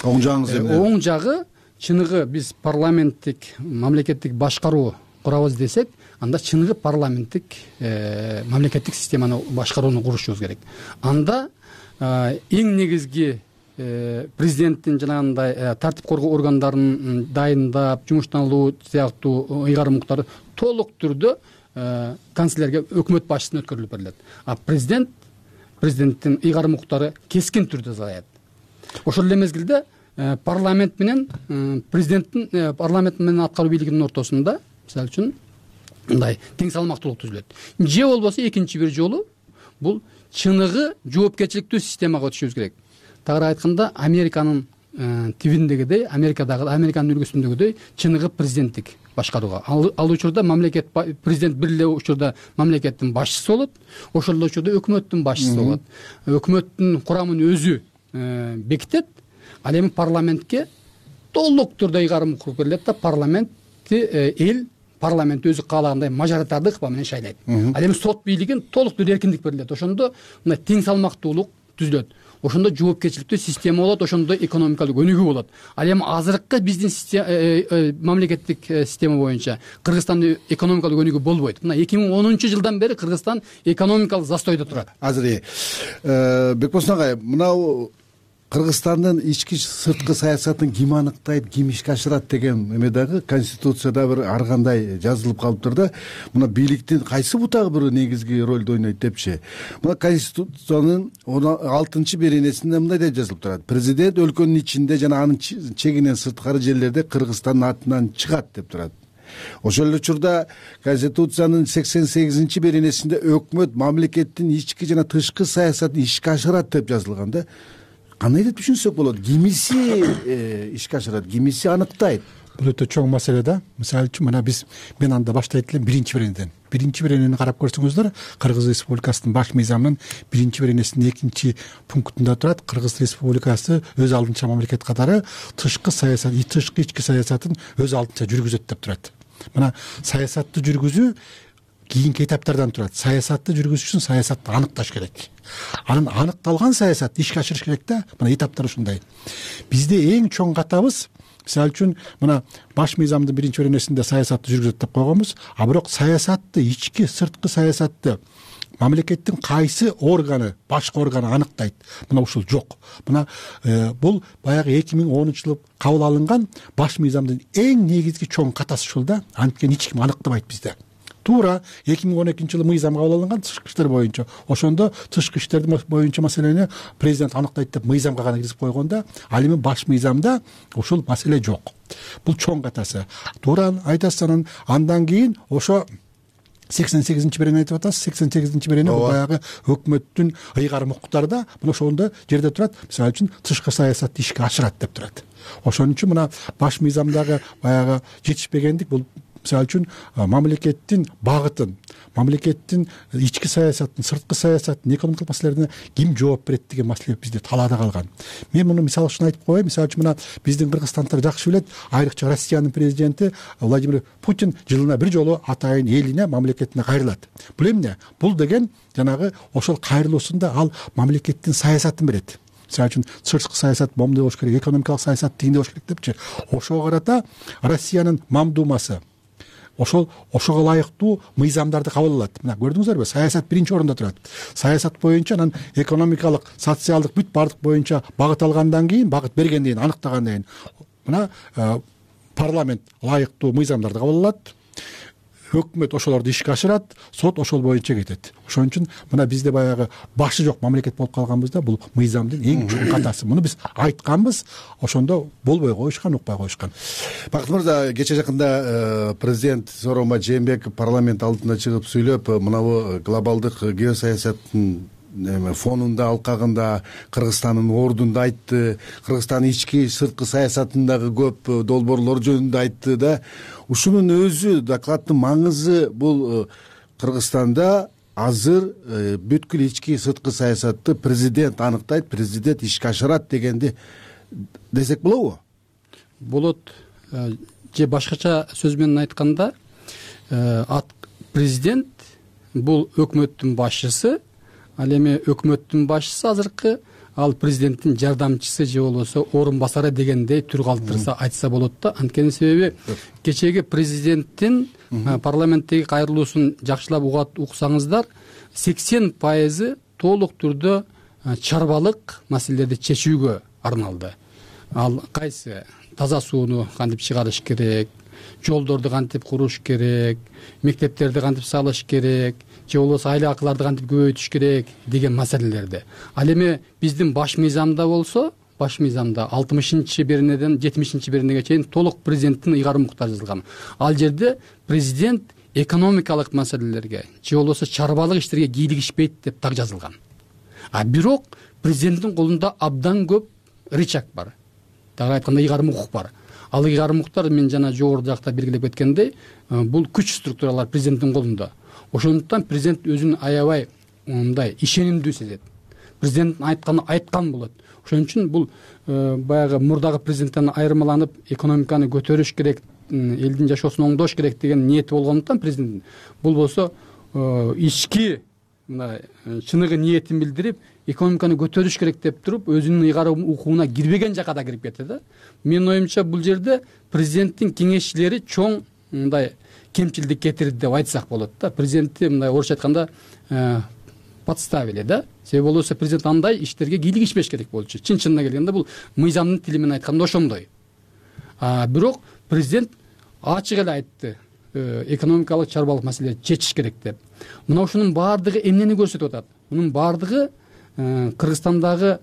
Оң жагыңыз эмне? Оң жагы чыныгы биз парламенттик мамлекеттик башкаруу курабыз десек, анда чыныгы парламенттик мамлекеттик системаны башкарууну курушубуз керек. Анда эң негизги президенттин жанагындай тартип коргоо органдарын дайындап, жумуштан алуу сыяктуу ыйгарым укуктарды толук түрдө канцлерге өкмөт башчысына өткөрүлүп берилет. А президенттин ыйгарым укуктары кескин түрдө саят. Ошол эле мезгилде парламент менен парламент менен аткаруу бийлигинин ортосунда мисалы үчүн мындай тең салмактуулук түзүлөт. Же болбосо экинчи бир жолу бул чыныгы жоопкерчиликтүү системага өтүшүбүз керек. Тагыраак айтканда Американын тибиндегидей, Американын үлгүсүндөгүдөй чыныгы президенттик башкарууга. Ал учурда президент бир эле учурда мамлекеттин башчысы болот, ошол эле учурда өкмөттүн башчысы болот. Өкмөттүн курамын өзү бекитет, ал эми парламентке толук түрдө ыйгарым укук берилет да, парламент өзү каалагандай мажоритардык ыкма менен шайлайт. Ал эми сот бийлигин толук түрдө эркиндик берилет. Ошондо мына тең салмактуулук түзүлөт. Ошондо жоопкерчиликтүү система болот, ошондо экономикалык өнүгүү болот. Ал эми азыркы биздин мамлекеттик система боюнча Кыргызстандын экономикалык өнүгүү болбойт. Мына 2010-жылдан бери Кыргызстан экономикалык застойдо турат. Азыр Бекбосын агай, мынау Кыргызстандын ички сырткы саясатын ким аныктайт, ким ишке ашырат деген эме дагы Конституцияда бир ар кандай жазылып калыптыр да. Мына бийликтин кайсы бутагы бир негизги ролду ойнойт депчи. Мына Конституциянын 6-беренесинде мындай деп жазылып турат. Президент өлкөнүн ичинде жана анын чегинен сырткары жерлерде Кыргызстандын атынан чыгат деп турат. Ошол эле учурда Конституциянын 88-беренесинде өкмөт мамлекеттин ички жана тышкы саясатын ишке ашырат деп жазылган да. Кандай деп түшүнсөк болот? Кимиси ишке ашырат, кимиси аныктайт? Бул өтө чоң маселе да. Мисалы үчүн мына мен анда баштайт элем биринчи беренеден. Биринчи беренени карап көрсөңүздөр, Кыргыз Республикасынын баш мыйзамынын биринчи беренесинин 2-пунктунда турат. Кыргыз Республикасы өз алдынча мамлекет катары тышкы саясат, тышкы ички саясатын өз алдынча жүргүзөт деп турат. Мына саясатты жүргүзүү кийинки этаптардан турат. Саясатты жүргүзүш үчүн саясатты аныкташ керек. Анын аныкталган саясатты ишке ашырыш керек да. Мына этаптар ушундай. Бизде эң чоң катабыз, мисалы үчүн мына баш мыйзамдын биринчи беренесинде саясатты жүргүзөт деп койгонбуз, а бирок саясатты, ички сырткы саясатты мамлекеттин кайсы органы, башкы органы аныктайт? Мына ушул жок. Мына бул баягы 2010-жылы кабыл алынган баш мыйзамдын эң негизги чоң катасы ушул да. Анткени эч ким аныктабайт бизде. Туура 2012-жылы мыйзам кабыл алынган тышкы иштер боюнча. Ошондо тышкы иштер боюнча маселени президент аныктайт деп мыйзамга гана киргизип койгондо, ал эми баш мыйзамда ушул маселе жок. Бул чоң катасы. Туура айтасыз, андан кийин ошо 88-берени айтып атасыз. 88-берени бул баягы өкмөттүн ыйгарым укуктарда, мына ошондо жерде турат. Мисалы үчүн тышкы саясатты ишке ашырат деп турат. Ошон үчүн мына баш мыйзамдагы баягы жетишпегендик бул мисалы үчүн мамлекеттин багытын, мамлекеттин ички саясатын, сырткы саясатын, экономикалык маселелерине ким жооп берет деген маселе бизде талаада калган. Мен муну мисал үчүн айтып коеюн. Мисалы үчүн мына биздин кыргызстандыктар жакшы билет, айрыкча Россиянын президенти Владимир Путин жылына бир жолу атайын элине, мамлекетине кайрылат. Бул эмне? Бул деген жанагы ошол кайрылуусунда ал мамлекеттин саясатын берет. Мисалы үчүн сырткы саясат момундай болуш керек, экономикалык саясат тигиндей болуш керек депчи. Ошого карата Россиянын Мамдумасы ошого ылайыктуу мыйзамдарды кабыл алат. Мына көрдүңүздөрбү? Саясат биринчи орунда турат. Саясат боюнча анан экономикалык, социалдык бүт бардык боюнча багыт алгандан кийин, багыт бергенден кийин, аныктагандан кийин мына парламент ылайыктуу мыйзамдарды кабыл алат. Өкмөт ошолорду ишке ашырат, сот ошол боюнча кетет. Ошон үчүн мына бизде баягы башы жок мамлекет болуп калганбыз да. Бул мыйзамдын эң чоң катасы. Муну биз айтканбыз, ошондо болбой коюшкан, укпай коюшкан. Бакыт мырза, кече жакында президент Сооронбай Жээнбеков парламент алдына чыгып сүйлөп, мынабу глобалдык геосаясаттын фонунда, алкагында Кыргызстандын ордунда айтты. Кыргызстандын ички сырткы саясатындагы көп долбоорлор жөнүндө айтты да. Ушунун өзү, докладдын маңызы бул Кыргызстанда азыр бүткүл ички сырткы саясатты президент аныктайт, президент ишке ашырат дегенди десек болобу? Болот. Же башкача сөз менен айтканда, президент бул өкмөттүн башчысы. Ал эми өкмөттүн башчысы азыркы, ал президенттин жардамчысы же болбосо орун басары дегендей түр калтырса айтса болот да. Анткени себеби кечеги президенттин парламенттеги кайрылуусун жакшылап уксаңыздар, 80% толук түрдө чарбалык маселелерди чечүүгө арналды. Ал кайсы? Таза сууну кантип чыгарыш керек, жолдорду кантип куруш керек, мектептерди кантип салыш керек, же болбосо айла акыларды кантип көбөйтүш керек деген маселелерди. Ал эми биздин баш мыйзамда болсо, баш мыйзамда 60-беренеден 70-беренеге чейин толук президенттин ыйгарым укуктары жазылган. Ал жерде президент экономикалык маселелерге же болбосо чарбалык иштерге кийлигишпейт деп так жазылган. А бирок президенттин колунда абдан көп рычаг бар. Дагы айтканда ыйгарым укук бар. Ал ыйгарым укуктар мен жана жогору жакта белгилеп кеткендей, бул күч структуралар президенттин колунда. Ошондуктан президент өзүн аябай мындай ишенимдүү сезет. Президент айткан болот. Ошон үчүн бул баягы мурдагы президенттен айырмаланып экономиканы көтөрүш керек, элдин жашоосун оңдош керек деген ниети болгондуктан президент бул болсо ички мындай чыныгы ниетин билдирип экономиканы көтөрүш керек деп туруп өзүнүн ыйгарым укугуна кирбеген жака да кирип кетти да. Менин оюмча бул жерде президенттин кеңешчилери чоң мындай кемчилдик кетирди деп айтсак болот да. Президентти мындай орусча айтканда подставили да. Себеби болбосо президент андай иштерге кийлигишпеш керек болчу. Чын-чынына келгенде бул мыйзамдын тили менен айтканда ошондой. Бирок президент ачык эле айтты, экономикалык чарбалык маселелерди чечиш керек деп. Мына ушунун баардыгы эмнени көрсөтүп атат? Мунун баардыгы Кыргызстандагы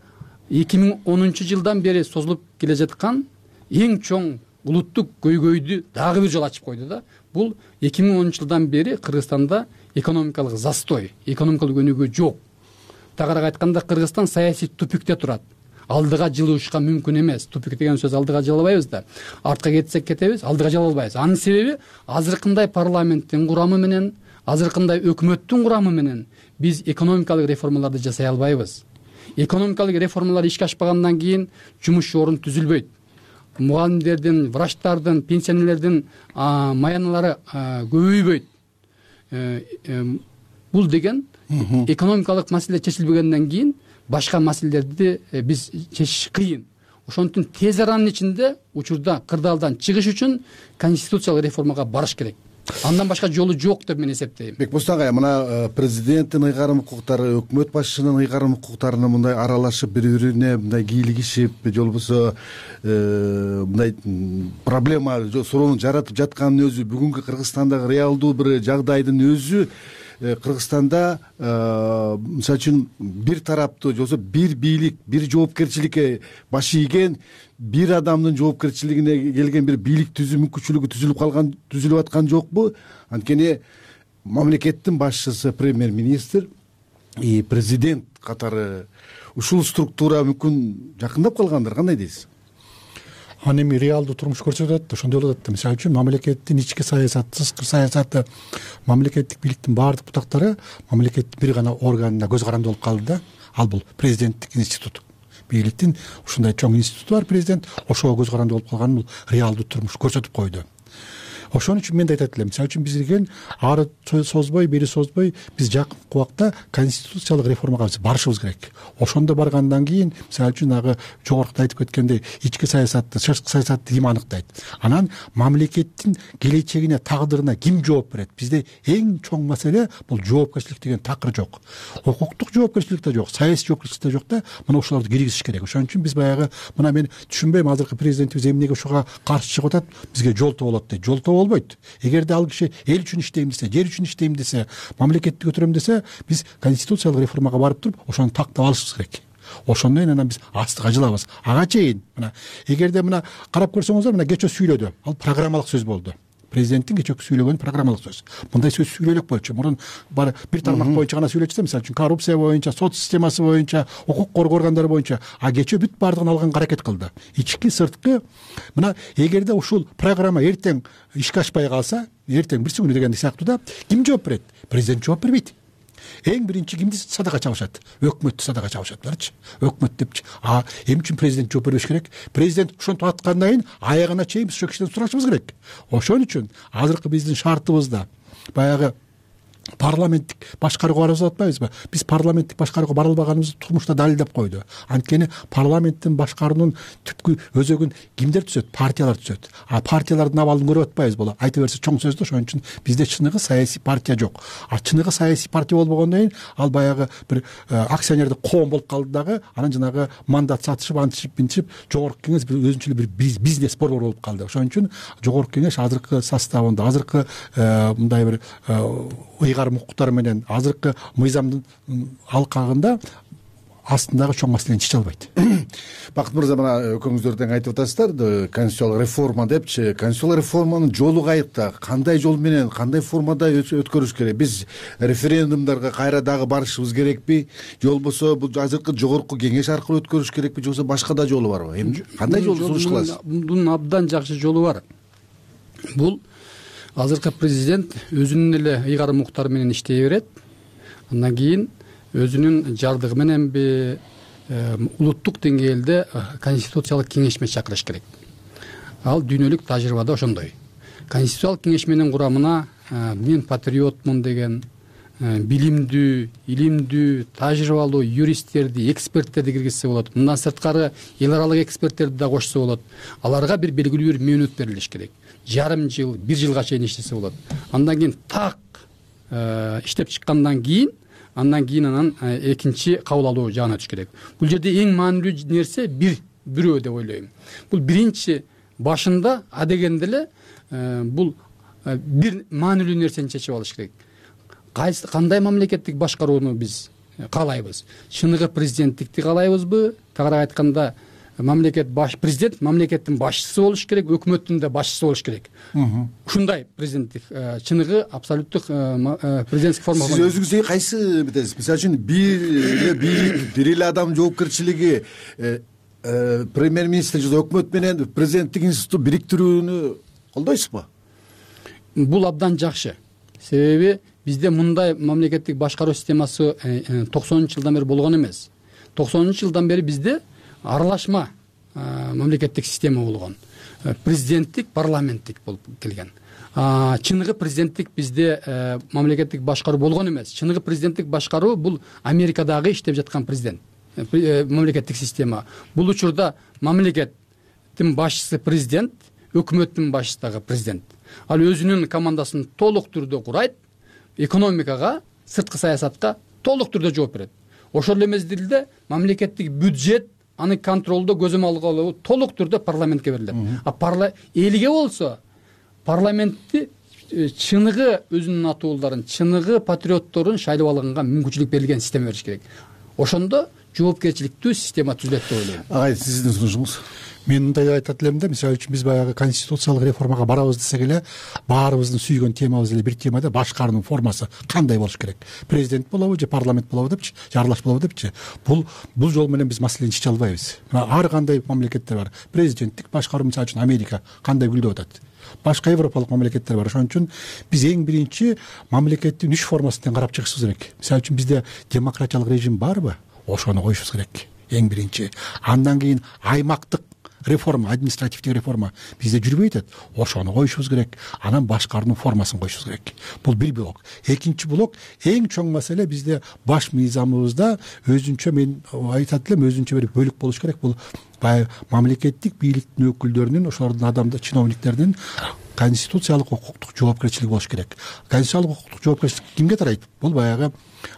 2010 жылдан бери созулуп келе жаткан эң чоң улуттук көйгөйдү дагы бир жолу ачып койду да. Бул 2010 жылдан бери Кыргызстанда экономикалык застой, экономикалык өнүгүү жок. Тагыраак айтканда Кыргызстан саясий тупикте турат. Алдыга жылышка мүмкүн эмес. Тупик деген сөз алдыга жыла албайбыз да. Артка кетсек кетебиз, алдыга жыла албайбыз. Анын себеби азыркындай парламенттин курамы менен, азыркындай өкмөттүн курамы менен биз экономикалык реформаларды жасай албайбыз. Экономикалык реформалар ишке ашпагандан кийин жумуш орун түзүлбөйт. Мугалимдердин, врачтардын, пенсионерлердин маяналары көбөйбөйт. Бул деген экономикалык маселе чечилбегенден кийин башка маселелерди биз чечиш кыйын. Ошондуктан тез аранын ичинде учурда кырдаалдан чыгыш үчүн конституциялык реформага барыш керек. Андан башка жолу жок деп мен эсептейм. Бекбосын агай, мына президенттин ыйгарым укуктары, өкмөт башчысынын ыйгарым укуктарына мындай аралашып, бири-бирине мындай кийлигишип, же болбосо мындай проблема, суроону жаратып жатканын өзү бүгүнкү Кыргызстандагы реалдуу бир жагдайдын өзү Кыргызстанда мисалы үчүн бир тараптуу же болбосо бир бийлик, бир жоопкерчиликке баш ийген, бир адамдын жоопкерчилигине келген бир бийлик түзүү мүмкүнчүлүгү түзүлүп аткан жокпу? Анткени мамлекеттин башчысы, премьер-министр, президент катары ушул структура мүмкүн жакындап калгандыр, кандай дейсиз? Аны эми реалдуу турмуш көрсөтүп атат, ошондой болуп атат. Мисалы үчүн мамлекеттин ички саясаты, сырткы саясаты, мамлекеттик бийликтин баардык бутактары мамлекеттин бир гана органына көз каранды болуп калды да. Ал бул президенттик институт. Бийликтин ушундай чоң институту бар, президент ошого көз каранды болуп калганын бул реалдуу турмуш көрсөтүп койду. Ошон үчүн мен да айтат элем, мисалы үчүн бизге ары созбой, бери созбой биз жакынкы убакта конституциялык реформага барышыбыз керек. Ошондо баргандан кийин, мисалы үчүн ага жогоруда айтып кеткендей, ички саясатты, сырткы саясатты ким аныктайт? Анан мамлекеттин келечегине, тагдырына ким жооп берет? Бизде эң чоң маселе бул жоопкерчилик деген такыр жок. Укуктук жоопкерчилик да жок, саясий жоопкерчилик да жок да, мына ушуларды киргизиш керек. Ошон үчүн биз баягы мына мен түшүнбөйм, азыркы президентибиз эмнеге ушуга каршы чыгып атат? Бизге жолтоо болот дейт. Жолтоо болбойт. Эгерде ал киши эл үчүн иштейм десе, жер үчүн иштейм десе, мамлекетти көтөрөм десе, биз конституциялык реформага барып туруп, ошону тактап алышыбыз керек. Ошондон кийин анан биз астыга жылабыз. Ага чейин мына эгерде мына карап көрсөңүздөр, мына кечээ сүйлөдү. Ал программалык сөз болду. Президенттин кечээки сүйлөгөнү программалык сөз. Мындай сөз сүйлөөлөк болчу. Мурун бир тармак боюнча гана сүйлөчү, мисалы үчүн коррупция боюнча, сот системасы боюнча, укук коргоо органдары боюнча, кечээ бүт баардыгын алганга аракет кылды. Ички, сырткы. Мына эгерде ушул программа эртең ишке ашпай калса, эртең бирси күнү деген сыяктуу да, ким жооп берет? Президент жооп бербейт. Эң биринчи кимди садага чабышат? Өкмөттү садага чабышатларчы. Өкмөт депчи. Эмне үчүн президент жооп бербеш керек? Президент ошентип аткандан кийин аягына чейин биз ошол кишиден сурашыбыз керек. Ошон үчүн азыркы биздин шартыбызда баягы парламенттик башкарууга барып атпайбызбы? Биз парламенттик башкарууга бара албаганыбызды турмушта далилдеп койду. Анткени парламенттин башкаруунун түпкү өзөгүн кимдер түзөт? Партиялар түзөт. А партиялардын абалын көрүп атпайбыз боло. Айта берсе чоң сөз да, ошон үчүн бизде чыныгы саясий партия жок. А чыныгы саясий партия болбогондон кийин ал баягы бир акционердик коом болуп калды дагы, анан жанагы мандат сатышып, антишип, минтишип, жогорку кеңеш өзүнчө эле бир бизнес борбор болуп калды. Ошон үчүн жогорку кеңеш азыркы составында, азыркы мындай бир ыйгарым укуктар менен азыркы мыйзамдын алкагында астындагы чоң маселени чече албайт. Бакыт мырза, мына экөөңүздөр тең айтып атасыздар, конституциялык реформа депчи. Конституциялык реформанын жолу кайыкта? Кандай жол менен, кандай формада өткөрүш керек? Биз референдумдарга кайра дагы барышыбыз керекпи? Же болбосо бул азыркы жогорку кеңеш аркылуу өткөрүш керекпи, же болбосо башка да жолу барбы? Эми кандай жолду сунуш кыласыз? Мунун абдан жакшы жолу бар. Бул азыркы президент өзүнүн эле ыйгарым укуктары менен иштей берет. Андан кийин өзүнүн жардыгы мененби улуттук деңгээлде конституциялык кеңешме чакырыш керек. Ал дүйнөлүк тажрыйбада ошондой. Конституциялык кеңешменин курамына мен патриотмун деген билимдүү, илимдүү, тажрыйбалуу юристтерди, эксперттерди киргизсе болот. Мындан сырткары эл аралык эксперттерди да кошсо болот. Аларга бир белгилүү бир мөөнөт берилиш керек. Жарым жыл, 1 жылга чейин иштесе болот. Андан кийин так иштеп чыккандан кийин анан экинчи кабыл алуу жагына өтүш керек. Бул жерде эң маанилүү нерсе бирөө деп ойлойм. Бул биринчи башында адегенде эле бул бир маанилүү нерсени чечип алыш керек. Кандай мамлекеттик башкарууну биз каалайбыз? Чыныгы президенттикти каалайбызбы? Тагыраак айтканда, президент мамлекеттин башчысы болуш керек, өкмөттүн да башчысы болуш керек. Ушундай президенттик, чыныгы абсолюттук президенттик форма. Сиз өзүңүзгө кайсы битесиз? Мисалы үчүн бир эле адам жоопкерчилиги, премьер-министр же өкмөт менен президенттик институтту бириктирүүнү колдойсузбу? Бул абдан жакшы. Себеби бизде мындай мамлекеттик башкаруу системасы 90-жылдан бери болгон эмес. 90-жылдан бери бизде аралашма мамлекеттик система болгон. Президенттик, парламенттик болуп келген. Чыныгы президенттик бизде мамлекеттик башкаруу болгон эмес. Чыныгы президенттик башкаруу бул Америкадагы иштеп жаткан президент, мамлекеттик система. Бул учурда мамлекеттин башчысы президент, өкмөттүн башчысы дагы президент. Ал өзүнүн командасын толук түрдө курайт, экономикага, сырткы саясатка толук түрдө жооп берет. Ошол эле мезгилде мамлекеттик бюджет, аны контролдо көзөм алгылоо толук түрдө парламентке берилет. Элге болсо парламентти чыныгы өзүнүн атуулдарын, чыныгы патриотторун шайлап алганга мүмкүнчүлүк берилген система бериш керек. Ошондо жоопкерчиликтүү система түзүлөт деп ойлойм. Агай, сиздин сунушуңуз? Мен мындай айтат элем да, мисалы үчүн биз баягы конституциялык реформага барабыз десек эле, баарыбыздын сүйгөн темабыз эле бир темада башкаруунун формасы кандай болуш керек? Президент болобу же парламент болобу депчи, же аралаш болобу депчи. Бул жол менен биз маселени чече албайбыз. Ар кандай мамлекеттер бар. Президенттик башкаруу, мисалы үчүн Америка кандай гүлдөп атат. Башка европалык мамлекеттер бар. Ошон үчүн биз эң биринчи мамлекеттин 3 формасынан карап чыгышыбыз керек. Мисалы үчүн бизде демократиялык режим барбы? Ошону коюшубуз керек. Эң биринчи. Андан кийин аймактык реформа, административдик реформа бизде жүрбөй атат. Ошону коюшубуз керек. Анан башкаруунун формасын коюшубуз керек. Бул бир блок. Экинчи блок, эң чоң маселе бизде баш мыйзамыбызда өзүнчө, мен айтат элем, өзүнчө бир бөлүк болуш керек. Бул мамлекеттик бийликтин өкүлдөрүнүн, ошолордун адамдар, чиновниктердин конституциялык укуктук жоопкерчилиги болуш керек. Конституциялык укуктук жоопкерчилик кимге тарайт? Бул баягы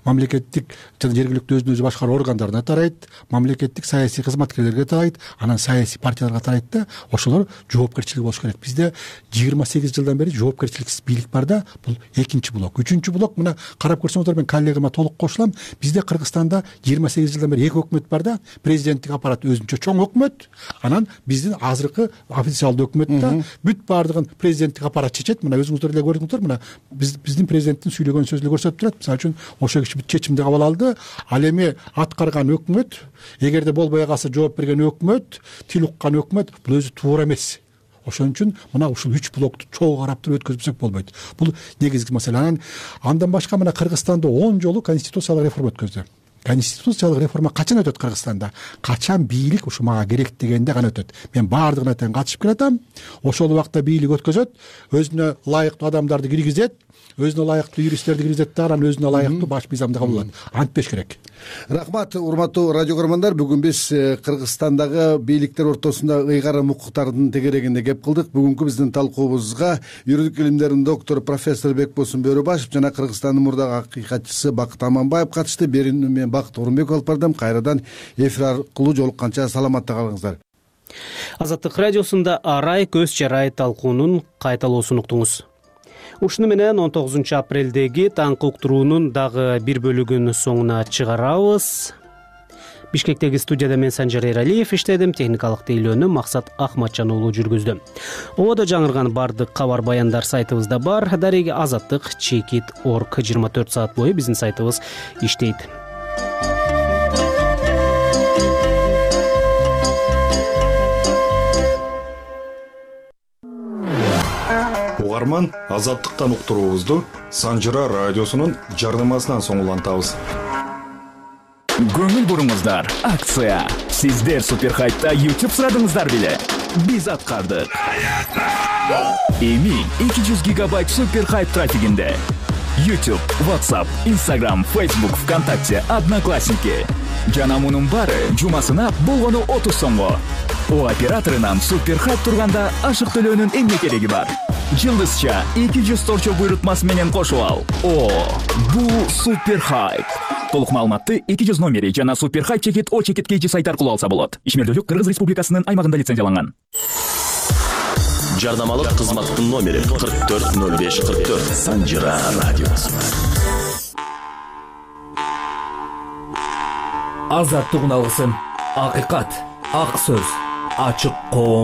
мамлекеттик жана жергиликтүү өзүн өзү башкаруу органдарына тарайт, мамлекеттик саясий кызматкерлерге тарайт, анан саясий партияларга тарайт да, ошолор жоопкерчилиги болуш керек. Бизде 28 жылдан бери жоопкерчиликсиз бийлик бар да, бул экинчи блок. Үчүнчү блок, мына карап көрсөңүздөр, мен коллегама толук кошулам. Бизде Кыргызстанда 28 жылдан бери 2 өкмөт бар да, президенттик аппарат өзүнчө чоң өкмөт, анан биздин азыркы официалдуу өкмөт да, бүт баардыгын президенттик аппарат чечет. Мына өзүңүздөр эле көрдүңүздөр, мына биздин президенттин сүйлөгөн сөзү көрсөтүп турат. Мисалы үчүн ошо киши бүт чечимди кабыл алды. Ал эми аткарган өкмөт, эгерде болбой калса жооп берген өкмөт, тил уккан өкмөт, бул өзү туура эмес. Ошон үчүн мына ушул 3 блокту чогуу карап туруп өткөзбөсөк болбойт. Бул негизги маселе. Андан башка мына Кыргызстанда 10 жолу конституциялык реформа өткөздү. конституциялык реформа качан өтөт Кыргызстанда, качан бийлик ушу мага керек дегенде гана өтөт. Мен баардыгына тең катышып келатам. Ошол убакта бийлик өткөзөт, өзүнө ылайыктуу адамдарды киргизет, өзүнө ылайыктуу юристтерди киргизет да, анан өзүнө ылайыктуу баш мыйзамды кабыл алат. Антпеш керек. Рахмат, урматтуу радио көрөрмандар. Бүгүн биз Кыргызстандагы бийликтер ортосунда ыйгарым укуктардын тегерегинде кеп кылдык. Бүгүнкү биздин талкуубузга юридик илимдердин доктору профессор Бекбосун Бөрөбашев жана Кыргызстандын мурдагы акыйкатчысы Бакыт Аманбаев катышты. Берүүнү мен Бакыт Орунбеков алып бардым. Кайрадан эфир аркылуу жолукканча саламатта калыңыздар. Азаттык радиосунда арай көз чарай талкуунун кайталоосун уктуңуз. Ушуну менен 19 апрелдеги таңкы уктуруунун дагы бир бөлүгүн соңуна чыгарабыз. Бишкектеги студияда мен Санжар Эралиев иштедим, техникалык тейлөөнү Максат Ахматжан уулу жүргүздү. Ободо жаңырган бардык кабар баяндар сайтыбызда бар. Дареги azattik.org 24 саат бою биздин сайтыбыз иштейт. Угарман, Азаттыктан уктуруубузду Санжыра радиосунун жардамасынан соң улантабыз. Көңүл буруңуздар, акция. Сиздер Суперхайпта YouTube сурадыңыздар беле? Биз аткардык. Эми 200 гигабайт Суперхайп трафигинде. YouTube, WhatsApp, Instagram, Facebook, ВКонтакте, Одноклассники. Жана мунун баары жумасына болгону 30 сомго. О операторунан Суперхайп турганда ашык төлөөнүн эмне кереги бар? Жылдызча 200 торчо буйрутмасы менен кошуп ал. О, бул Суперхайп. Толук маалыматты 200 номери жана Суперхайп чекит О чекит KG сайт аркылуу алса болот. Ишмердүүлүк Кыргыз Республикасынын аймагында лицензияланган. Жардамалык кызматтын номери 440544. Санжыра радиосу. Азаттык уналгысын, акыйкат, ак сөз, ачык коом.